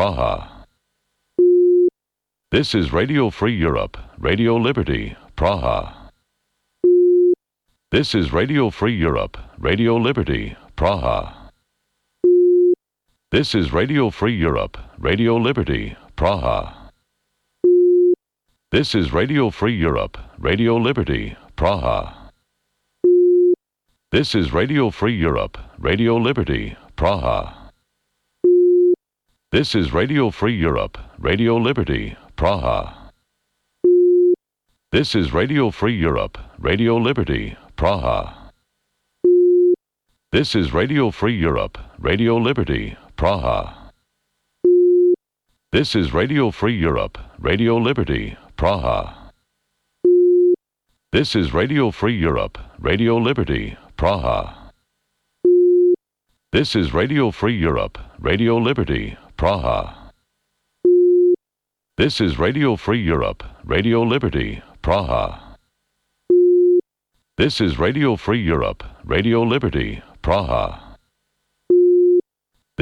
Praha. This is Radio Free Europe, Radio Liberty, Praha. This is Radio Free Europe, Radio Liberty, Praha. This is Radio Free Europe, Radio Liberty, Praha. This is Radio Free Europe, Radio Liberty, Praha. This is Radio Free Europe, Radio Liberty, Praha. This is Radio Free Europe, Radio Liberty, Praha. This is Radio Free Europe, Radio Liberty, Praha. This is Radio Free Europe, Radio Liberty, Praha. This is Radio Free Europe, Radio Liberty, Praha. This is Radio Free Europe, Radio Liberty, Praha. This is Radio Free Europe, Radio Liberty, Praha. This is Radio Free Europe, Radio Liberty, Praha. This is Radio Free Europe, Radio Liberty, Praha. This is Radio Free Europe, Radio Liberty, Praha.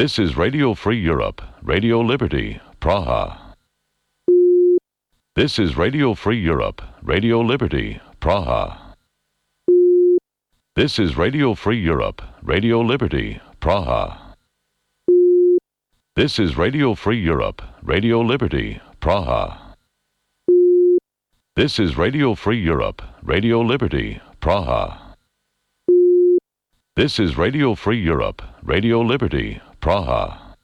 This is Radio Free Europe, Radio Liberty, Praha. This is Radio Free Europe, Radio Liberty, Praha. This is Radio Free Europe, Radio Liberty, Praha. This is Radio Free Europe, Radio Liberty, Praha. This is Radio Free Europe, Radio Liberty, Praha. This is Radio Free Europe, Radio Liberty, Praha.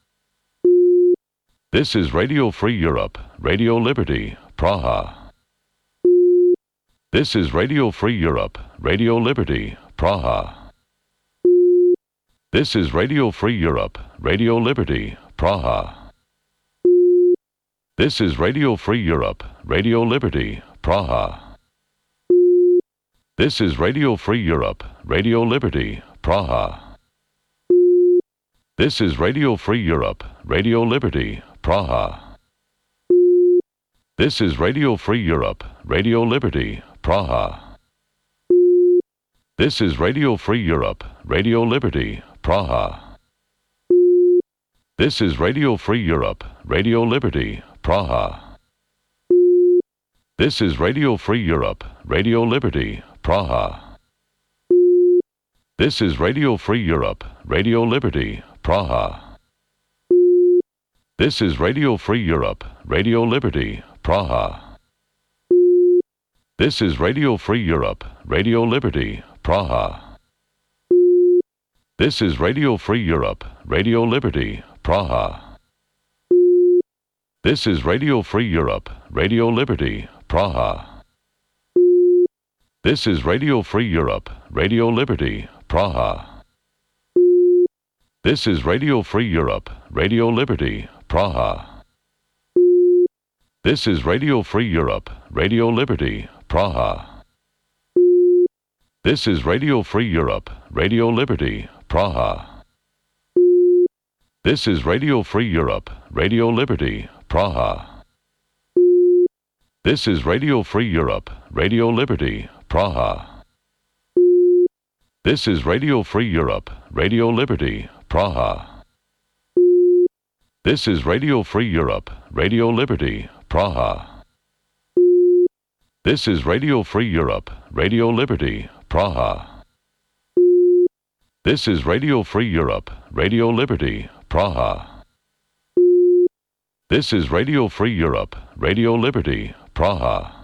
This is Radio Free Europe, Radio Liberty, Praha. This is Radio Free Europe, Radio Liberty, Praha. This is Radio Free Europe, Radio Liberty, Praha. This is Radio Free Europe, Radio Liberty, Praha. This is Radio Free Europe, Radio Liberty, Praha. This is Radio Free Europe, Radio Liberty, Praha. This is Radio Free Europe, Radio Liberty, Praha. This is Radio Free Europe, Radio Liberty, Praha. This is Radio Free Europe, Radio Liberty, Praha. This is Radio Free Europe, Radio Liberty, Praha. This is Radio Free Europe, Radio Liberty, Praha. This is Radio Free Europe, Radio Liberty, Praha. This is Radio Free Europe, Radio Liberty, Praha. This is Radio Free Europe, Radio Liberty, Praha. This is Radio Free Europe, Radio Liberty, Praha. This is Radio Free Europe, Radio Liberty, Praha. This is Radio Free Europe, Radio Liberty, Praha. This is Radio Free Europe, Radio Liberty, Praha. This is Radio Free Europe, Radio Liberty, Praha. This is Radio Free Europe, Radio Liberty, Praha. This is Radio Free Europe, Radio Liberty, Praha. This is Radio Free Europe, Radio Liberty, Praha. This is Radio Free Europe, Radio Liberty, Praha. This is Radio Free Europe, Radio Liberty, Praha. This is Radio Free Europe, Radio Liberty, Praha. This is Radio Free Europe, Radio Liberty, Praha.